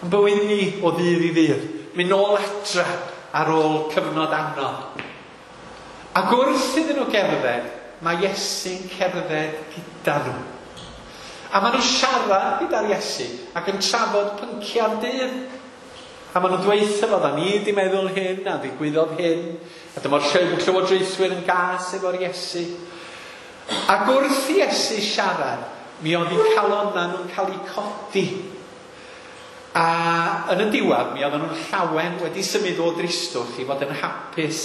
yn bywyd ni o ddydd i ddydd, mynd nôl adra ar ôl cyfnod anodd. Ac wrth iddyn nhw gerdded, mae Iesu'n cerdded gyda nhw. A maen nhw'n siarad gyda'r Iesu ac yn trafod pynciau'r dydd. A maen nhw'n dweud fo, da ni wedi meddwl hyn, a ddigwyddodd hyn, a dyma'r llywodraethwyr yn gas efo'r Iesu. Ac wrth i Iesu siarad, mi oedd eu calonnau nhw'n cael eu codi. A yn y diwedd, mi oedden nhw'n llawen wedi symud o dristwch i fod yn hapus.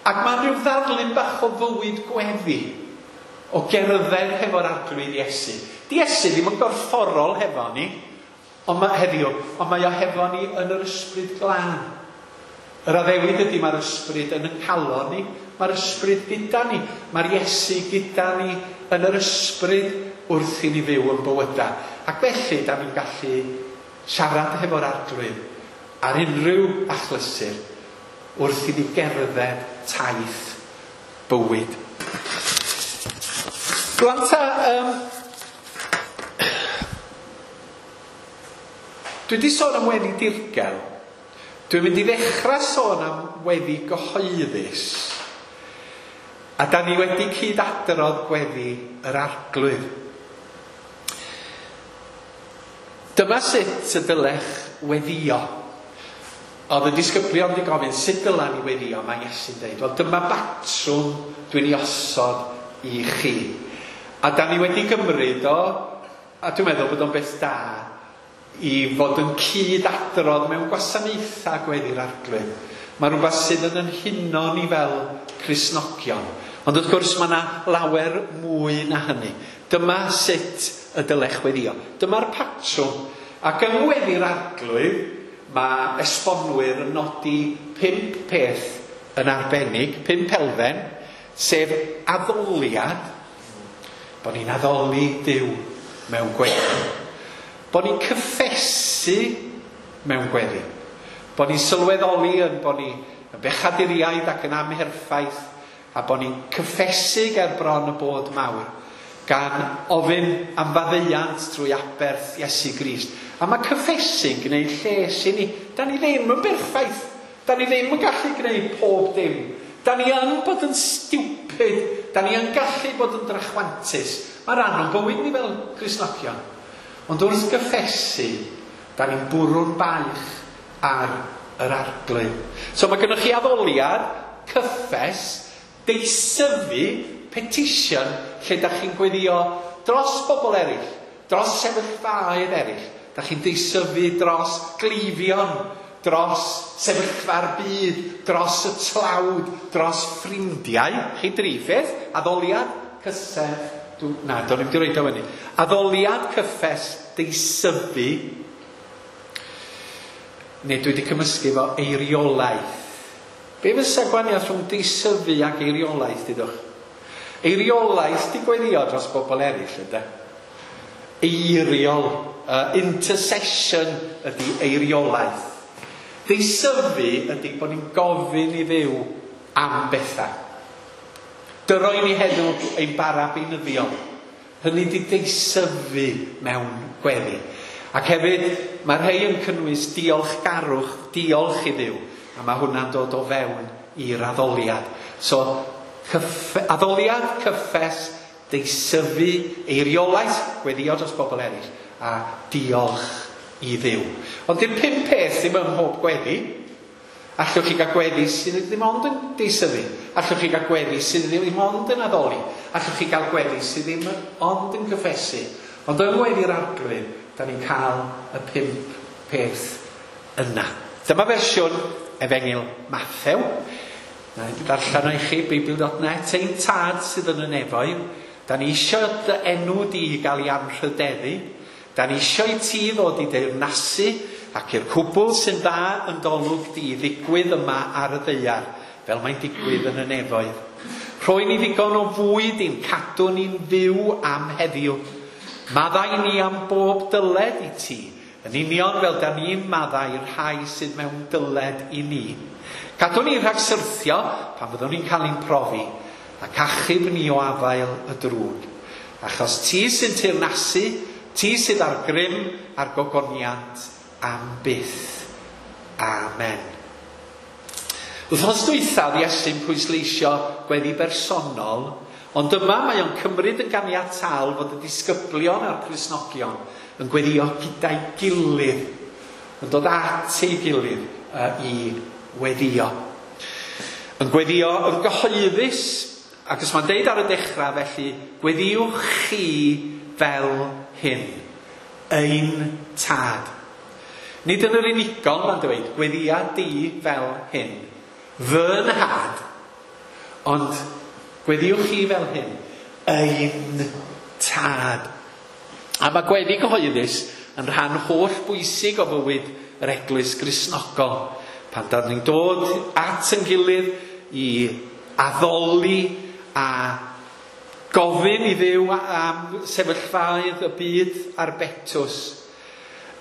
Ac mae'n rhyw ddarlun bach o fywyd gweddi, o gerdded hefo'r Arglwydd Iesu. Di Iesu ddim yn gorfforol hefo ni, ond mae, heddiw, ond mae o hefo ni yn yr ysbryd glân. Yr addewid ydy mae'r ysbryd yn y calon ni, mae'r ysbryd gyda ni, mae'r Iesu gyda ni yn yr ysbryd wrth i ni fyw yn bywydau. Ac felly, da ni'n gallu siarad hefo'r Arglwydd ar unrhyw achlysur wrth i ni gerdded taith bywyd. Rwan ta, dwi wedi sôn am weddi dirgel. Dwi'n mynd i ddechrau sôn am weddi gyhoeddus. A da ni wedi cyd-adrodd gweddi yr Arglwydd. Dyma sut y dylech weddio. Oedd y disgyblion wedi gofyn, sut dyla ni weddio? Mae Iesu'n dweud, wel dyma batrwm dwi'n ei osod i chi. A da ni wedi gymryd o, a dwi'n meddwl bod o'n beth da, i fod yn cyd-adrodd mewn gwasanaethau gweddi'r Arglwydd. Mae rhywbeth sydd yn yn huno ni fel Cristnogion. Ond wrth gwrs mae yna lawer mwy na hynny. Dyma sut y dylech weddio. Dyma'r patrwm. Ac yng ngweddi'r Arglwydd, mae esbonwyr yn nodi 5 peth yn arbennig, 5 elfen, sef addoliad, bod ni'n addoli Duw mewn gweddi. Bod ni'n cyffesu mewn gweddi. Bod ni'n sylweddoli yn bod ni yn bechaduriaid ac yn amherffaith, a bod ni'n cyffesu ger bron y bod mawr, gan ofyn am faddeuant trwy aberth Iesu Grist. A mae cyffesu'n gwneud lles i ni. Da ni ddim yn berffaith. Da ni ddim yn gallu gwneud pob dim. Da ni yn bod yn stupid. Da ni yn gallu bod yn drachwantus. Mae rhan o'n bywyd ni fel Cristnogion. Ond wrth gyffesu, da ni'n bwrw'n baich ar yr Arglwydd. So mae gennych chi addoliad, cyffes, deisyfu, petition, lle da chi'n gweddio dros bobl eraill, dros sefyllfaoedd eraill. Da chi'n deisyfu dros gleifion, dros sefyllfa'r byd, dros y tlawd, dros ffrindiau. Chi dri pheth, addoliad, cysef, na, do'n i'm 'di roid o fyny. Addoliad, cyffes, deisyfu, neu dwi wedi cymysgu efo eiriolaeth. Be fysa gwahaniaeth rhwng deisyfu ac eiriolaeth, dydwch? Eiriolaeth di gweddio dros bobl eraill, ydy? Eiriol, intercession ydy eiriolaeth. Deisyfu ydy bod ni'n gofyn i Dduw am bethau. Dyroi ni heddiw ein bara beunyddiol. Hynny di deisyfu mewn gweddi. Ac hefyd, mae rhai yn cynnwys diolchgarwch, diolch i Dduw. A mae hwnna'n dod o fewn i'r addoliad. So, addoliad, cyffes, deisyfu, eiriolaeth, gweddio dros bobl eraill, a diolch i Dduw. Ond di'r 5 peth ddim ym mhob gweddi. Allwch chi gael gweddi sydd ddim ond yn deisyfu. Allwch chi gael gweddi sydd ddim ond yn addoli. Allwch chi gael gweddi sydd ddim ond yn cyffesu. Ond yng ngweddi'r Arglwydd, da ni'n cael y 5 peth yna. Dyma fersiwn Efengyl Mathew. Na i ddarllen o i chi, Beibl.net. Ein tad sydd yn y nefoedd, da ni isio dy enw di gael ei anrhydeddu. Da ni isio i ti ddod i deyrnasu ac i'r cwbl sy'n dda yn dolwg di ddigwydd yma ar y ddaear, fel mae'n digwydd yn y nefoedd. Rhoi ni ddigon o fwyd i'n cadw ni'n fyw am heddiw. Maddau ni am bob dyled i ti, yn union fel da ni'n maddau i'r rhai sydd mewn dyled i ni. Cadw ni rhag syrthio pan fyddwn ni'n cael ein profi, ac achub ni o afael y drwg. Achos ti sy'n teyrnasu, ti sydd ar grym a'r gogoniant am byth. Amen. Wythnos dwythaf Iesu'n pwysleisio gweddi bersonol, ond yma mae o'n cymryd yn ganiataol fod y disgyblion a'r Cristnogion yn gweddio gyda'i gilydd, yn dod at ei gilydd i weddio. Yn gweddio yn gyhoeddus, ac os mae'n deud ar y dechrau felly, gweddiwch chi fel hyn, ein tad. Nid yn yr unigol, mae'n dweud, gweddia di fel hyn, fy nhad, ond gweddiwch chi fel hyn, ein tad. A mae gweddi gyhoeddus yn rhan holl bwysig o fywyd yr Eglwys Gristnogol. Pan dan ni'n dod at yn gilydd i addoli a gofyn i Dduw am sefyllfaoedd y byd a'r betws.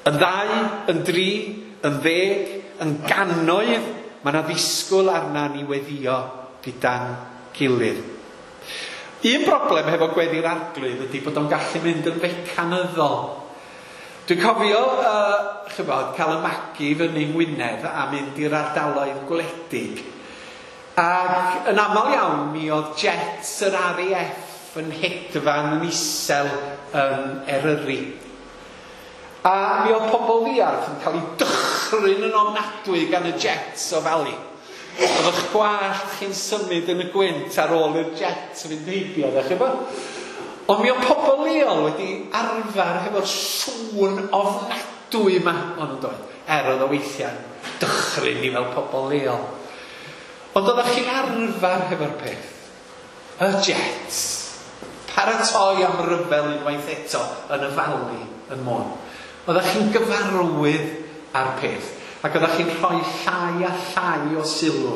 Yn 2, yn 3, yn 10, yn gannoedd, mae yna ddisgwyl arna ni weddio gyda'n gilydd. Un broblem hefo gweddi'r Arglwydd ydy bod o'n gallu mynd yn fecanyddol. Dwi'n cofio chybod, cael y magu fyny yng Ngwynedd a mynd i'r ardaloedd gwledig. Ac yn aml iawn mi oedd jets yr RAF yn hedfan yn isel yn Eryri. A mi oedd pobl ddiarth yn cael eu dychryn yn ofnadwy gan y jets o Fali. Oedd eich gwallt chi'n symud yn y gwynt ar ôl i'r jets fynd heibio, ddech chi bo? Ond mi oedd pobl leol wedi arfer hefo'r sŵn ofnadwy yma, ond yn doedd. Oedd o weithiau'n dychryn ni fel pobl leol. Ond oeddech chi'n arfer hefo'r peth. Y jets. Paratoi am ryfel unwaith eto yn y Fali yn Môn. Oeddech chi'n gyfarwydd â'r peth. Ac oeddech chi'n rhoi llai a llai o sylw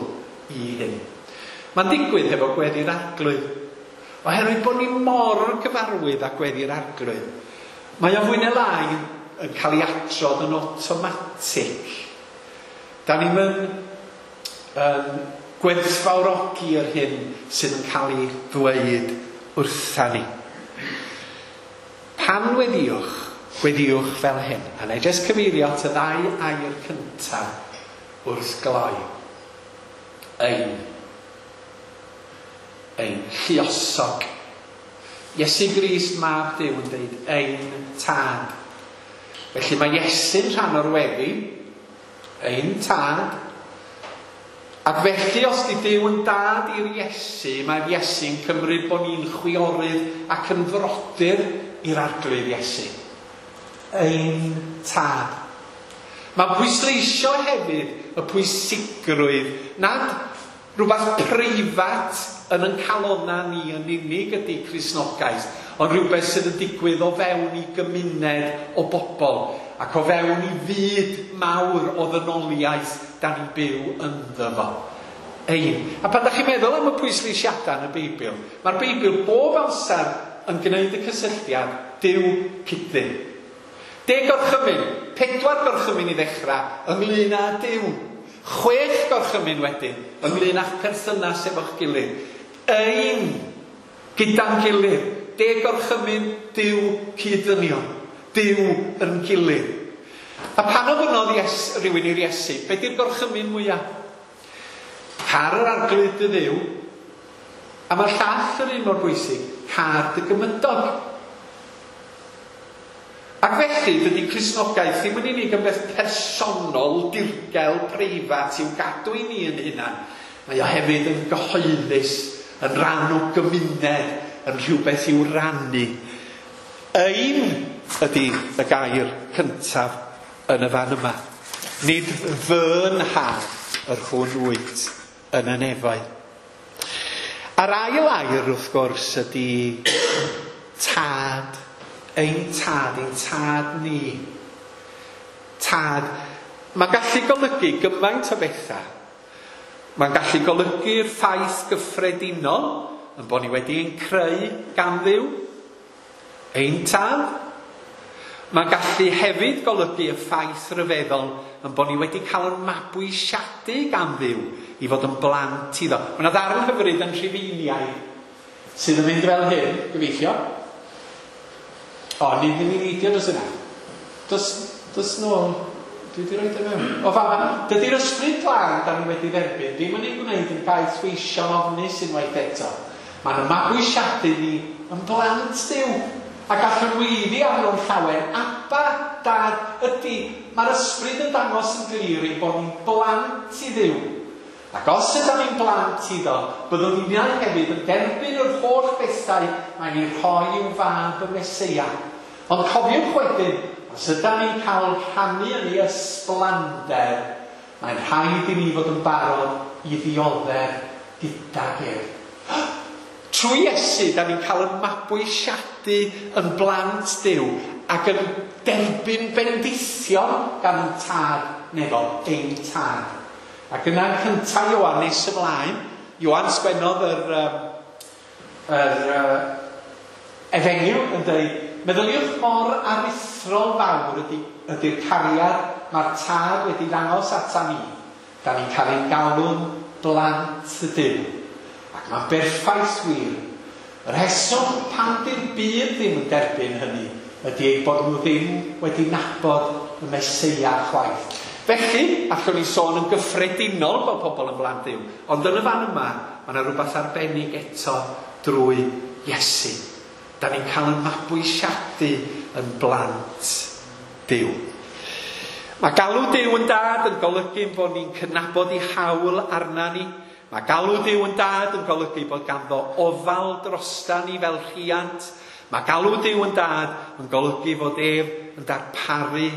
i hyn. Mae'n digwydd hefo gweddi'r Arglwydd. Oherwydd bod ni mor gyfarwydd â gweddi'r Arglwydd. Mae o fwy neu lai yn cael ei adrodd yn awtomatig. Da ni'n yn gwerthfawrogi yr hyn sydd yn cael ei ddweud wrtha ni. Pan weddiwch, weddiwch fel hyn. A na i jyst cyfeirio at y ddau air cyntaf wrth gloi. Ein lluosog. Iesu Grist mab Duw yn dweud ein tad. Felly mae Iesu'n rhan o'r weddi, ein tad. Ac felly os di Duw yn dad i'r Iesu, mae'r Iesu'n cymryd bod ni'n chwiorydd ac yn frodyr i'r Arglwydd Iesu. Ein tad. Mae'n pwysleisio hefyd y pwysigrwydd nad rhywbeth preifat yn ein calonna ni yn unig ydy Cristnogaeth, ond rhywbeth sydd yn digwydd o fewn i gymuned o bobl ac o fewn i fyd mawr o ddynoliaeth da ni'n byw ynddo fo. Ein. A pan da chi'n meddwl am y pwysleisiadau yn y Beibl, mae'r Beibl bob amser yn gwneud y cysylltiad Duw cyd-Dduw. 10 gorchymyn, 4 gorchymyn i ddechrau ynglyn â Duw. 6 gorchymyn wedyn ynglyn â'ch perthynas efo'ch gilydd. Ein gyda'n gilydd. 10 gorchymyn Duw cyd-ddynion. Duw yn gilydd. A pan ofynnodd rhywun i'r Iesu, be di'r gorchymyn mwyaf? Car yr Arglwydd dy Dduw, a mae'r llall yr un mor bwysig, car dy gymydog. Ac felly, dydy Cristnogaeth ddim yn unig yn beth personol, dirgel, preifat i'w gadw i ni yn hunan. Mae o hefyd yn gyhoeddus, yn rhan o gymuned, yn rhywbeth i'w rannu. Ein ydy y gair cyntaf yn y fan yma. Nid fy nhad yr hwn wyt yn y nefoedd. A'r ail air, wrth gwrs, ydy tad. Ein tad ni. Tad. Mae'n gallu golygu gymaint o bethau. Mae'n gallu golygu'r ffaith gyffredinol yn bod ni wedi ein creu gan Dduw. Ein tad. Mae'n gallu hefyd golygu y ffaith ryfeddol yn bod ni wedi cael ein mabwysiadu gan Dduw i fod yn blant iddo. Mae yna ddarn hyfryd yn Rhufeiniaid sydd yn mynd fel hyn, gobeithio. O, ni ddim yn neidio dros yna. Dos nôl. Dwi wedi rhoi o mewn. O fama, dydy'r ysbryd glân da ni wedi dderbyn ddim yn ei gwneud yn gaeth weision ofnus unwaith eto. Mae'n mabwysiadu ni yn blant Duw. A gallwn weiddi arno'n llawen, Abba, Dad, ydy, mae'r ysbryd yn dangos yn glir ein bod ni'n blant i Dduw. Ac os ydym ni'n blant iddo, byddwn ni'n hefyd yn derbyn yr holl bethau mae'n ei rhoi i'w fab y Meseia. Ond cofiwch wedyn, os ydym ni'n cael rhannu yn ei ysblander, mae'n rhaid i ni fod yn barod i ddioddef gydag ef. Trwy Iesu, da ni'n cael yn mabwysiadu yn blant Duw ac yn derbyn bendithion gan ein tad nefol, ein tad. Ac yna'n cyntaf Ioan nes ymlaen, Ioan sgwennodd yr efengyl yn dweud, meddyliwch mor aruthrol fawr ydy'r cariad mae'r tad wedi ddangos ata ni. Da ni'n cael ein galw'n blant y Duw. Ac mae'n berffaith wir. Y rheswm pan di'r byd ddim yn derbyn hynny ydy eu bod nhw ddim wedi nabod y Meseia chwaith. Felly, allwn ni sôn yn gyffredinol bod pobl yn blant Duw, ond yn y fan yma, mae yna rhywbeth arbennig eto drwy Iesu. Da ni'n cael ein mabwysiadu yn blant Duw. Mae galw Duw yn dad yn golygu bod ni'n cydnabod ei hawl arna ni. Mae galw Duw yn dad yn golygu bod ganddo ofal drosta ni fel rhiant. Mae galw Duw yn dad yn golygu fod ef yn darparu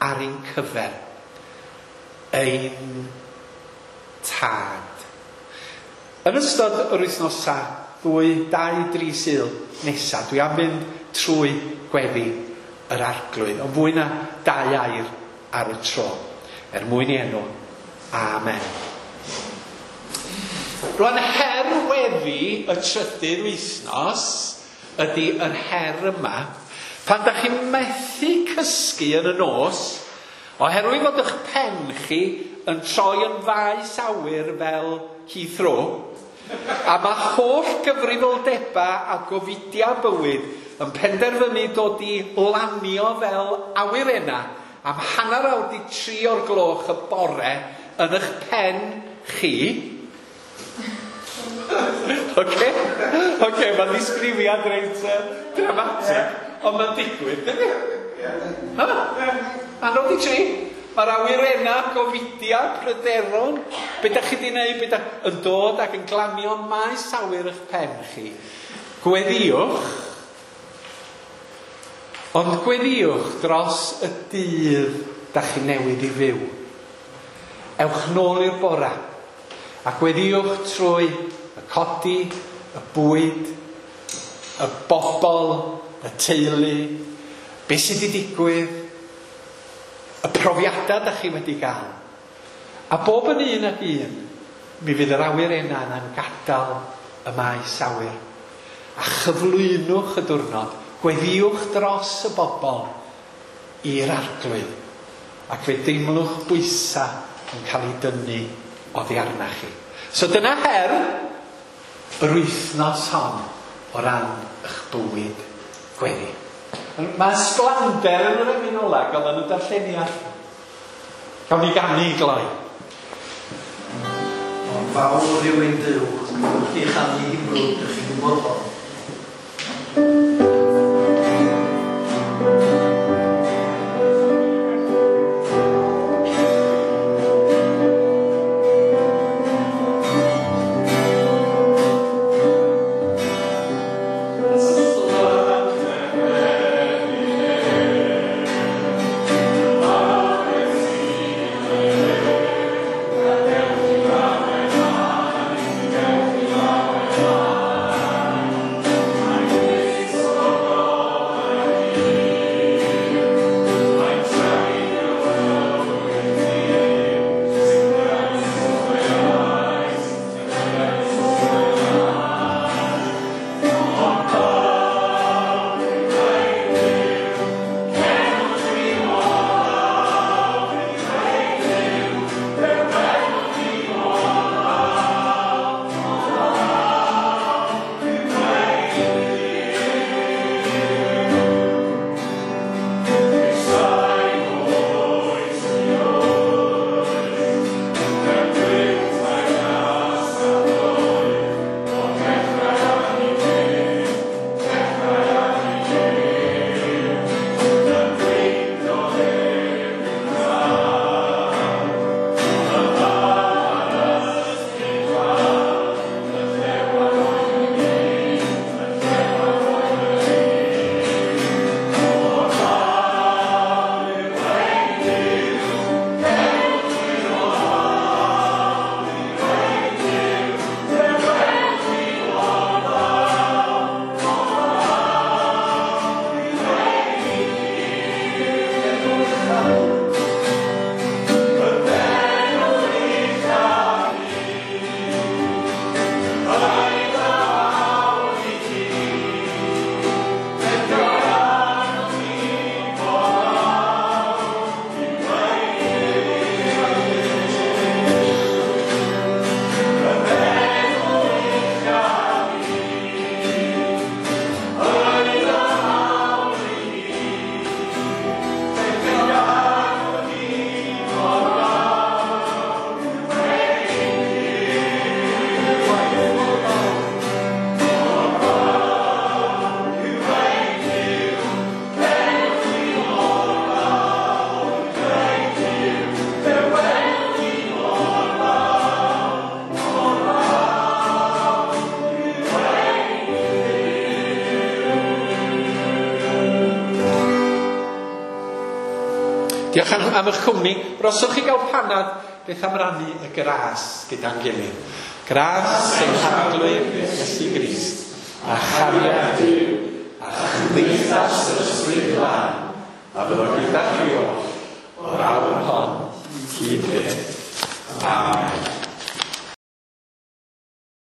ar ein cyfer. Ein tad. Yn ystod yr wythnosa 2, 2, 3 Sul nesaf, dwi am fynd trwy gweddi yr Arglwydd, ond fwy na 2 air ar y tro. Er mwyn i enw. Amen. Rwan, her weddi y trydydd wythnos ydy yr her yma. Pan da chi'n methu cysgu yn y nos, oherwydd fod eich pen chi yn troi yn faes awyr fel Heathrow, a mae holl gyfrifoldeba a gofidia bywyd yn penderfynu dod i lanio fel awyrenna am 2:30 o'r gloch y bore yn eich pen chi. Oce? Oce, mae'n ddisgrifiad reit dramatic, ond mae'n digwydd, dydy? Ha? 2:30. Mae'r awyrenna, gofidia, pryderon, be da chi di wneud, be da yn dod ac yn glanio maes awyr eich pen chi. Gweddiwch, ond gweddiwch dros y dydd da chi newydd i fyw. Ewch nôl i'r bora, a gweddiwch trwy y codi, y bwyd, y bobl, y teulu, be sydd wedi digwydd, y profiadau da chi wedi gael. A bob yn un ac un, mi fydd yr awyrenna yna'n gadael y maes awyr. A chyflwynwch y diwrnod, gweddiwch dros y bobl i'r Arglwydd, ac fe deimlwch bwysa yn cael ei dynnu oddi arna chi. So dyna her yr wythnos hon o ran eich bywyd gweddi. Mae sblander yn yr emyn ola, gael yn y darlleniad. Gawn ni ganu i gloi. Ond fawr yw ein Duw, wrth i chanu hi'n brwd, ydych chi'n gwybod hon. Diolch am eich cwmni. Roswch chi gael panad, beth am rannu y gras gyda'n gilydd. Gras ein Harglwydd Iesu Grist, a chariad Duw, a chymdeithas yr Ysbryd Glân, a fyddo gyda chi oll o'r awr hon hyd byth.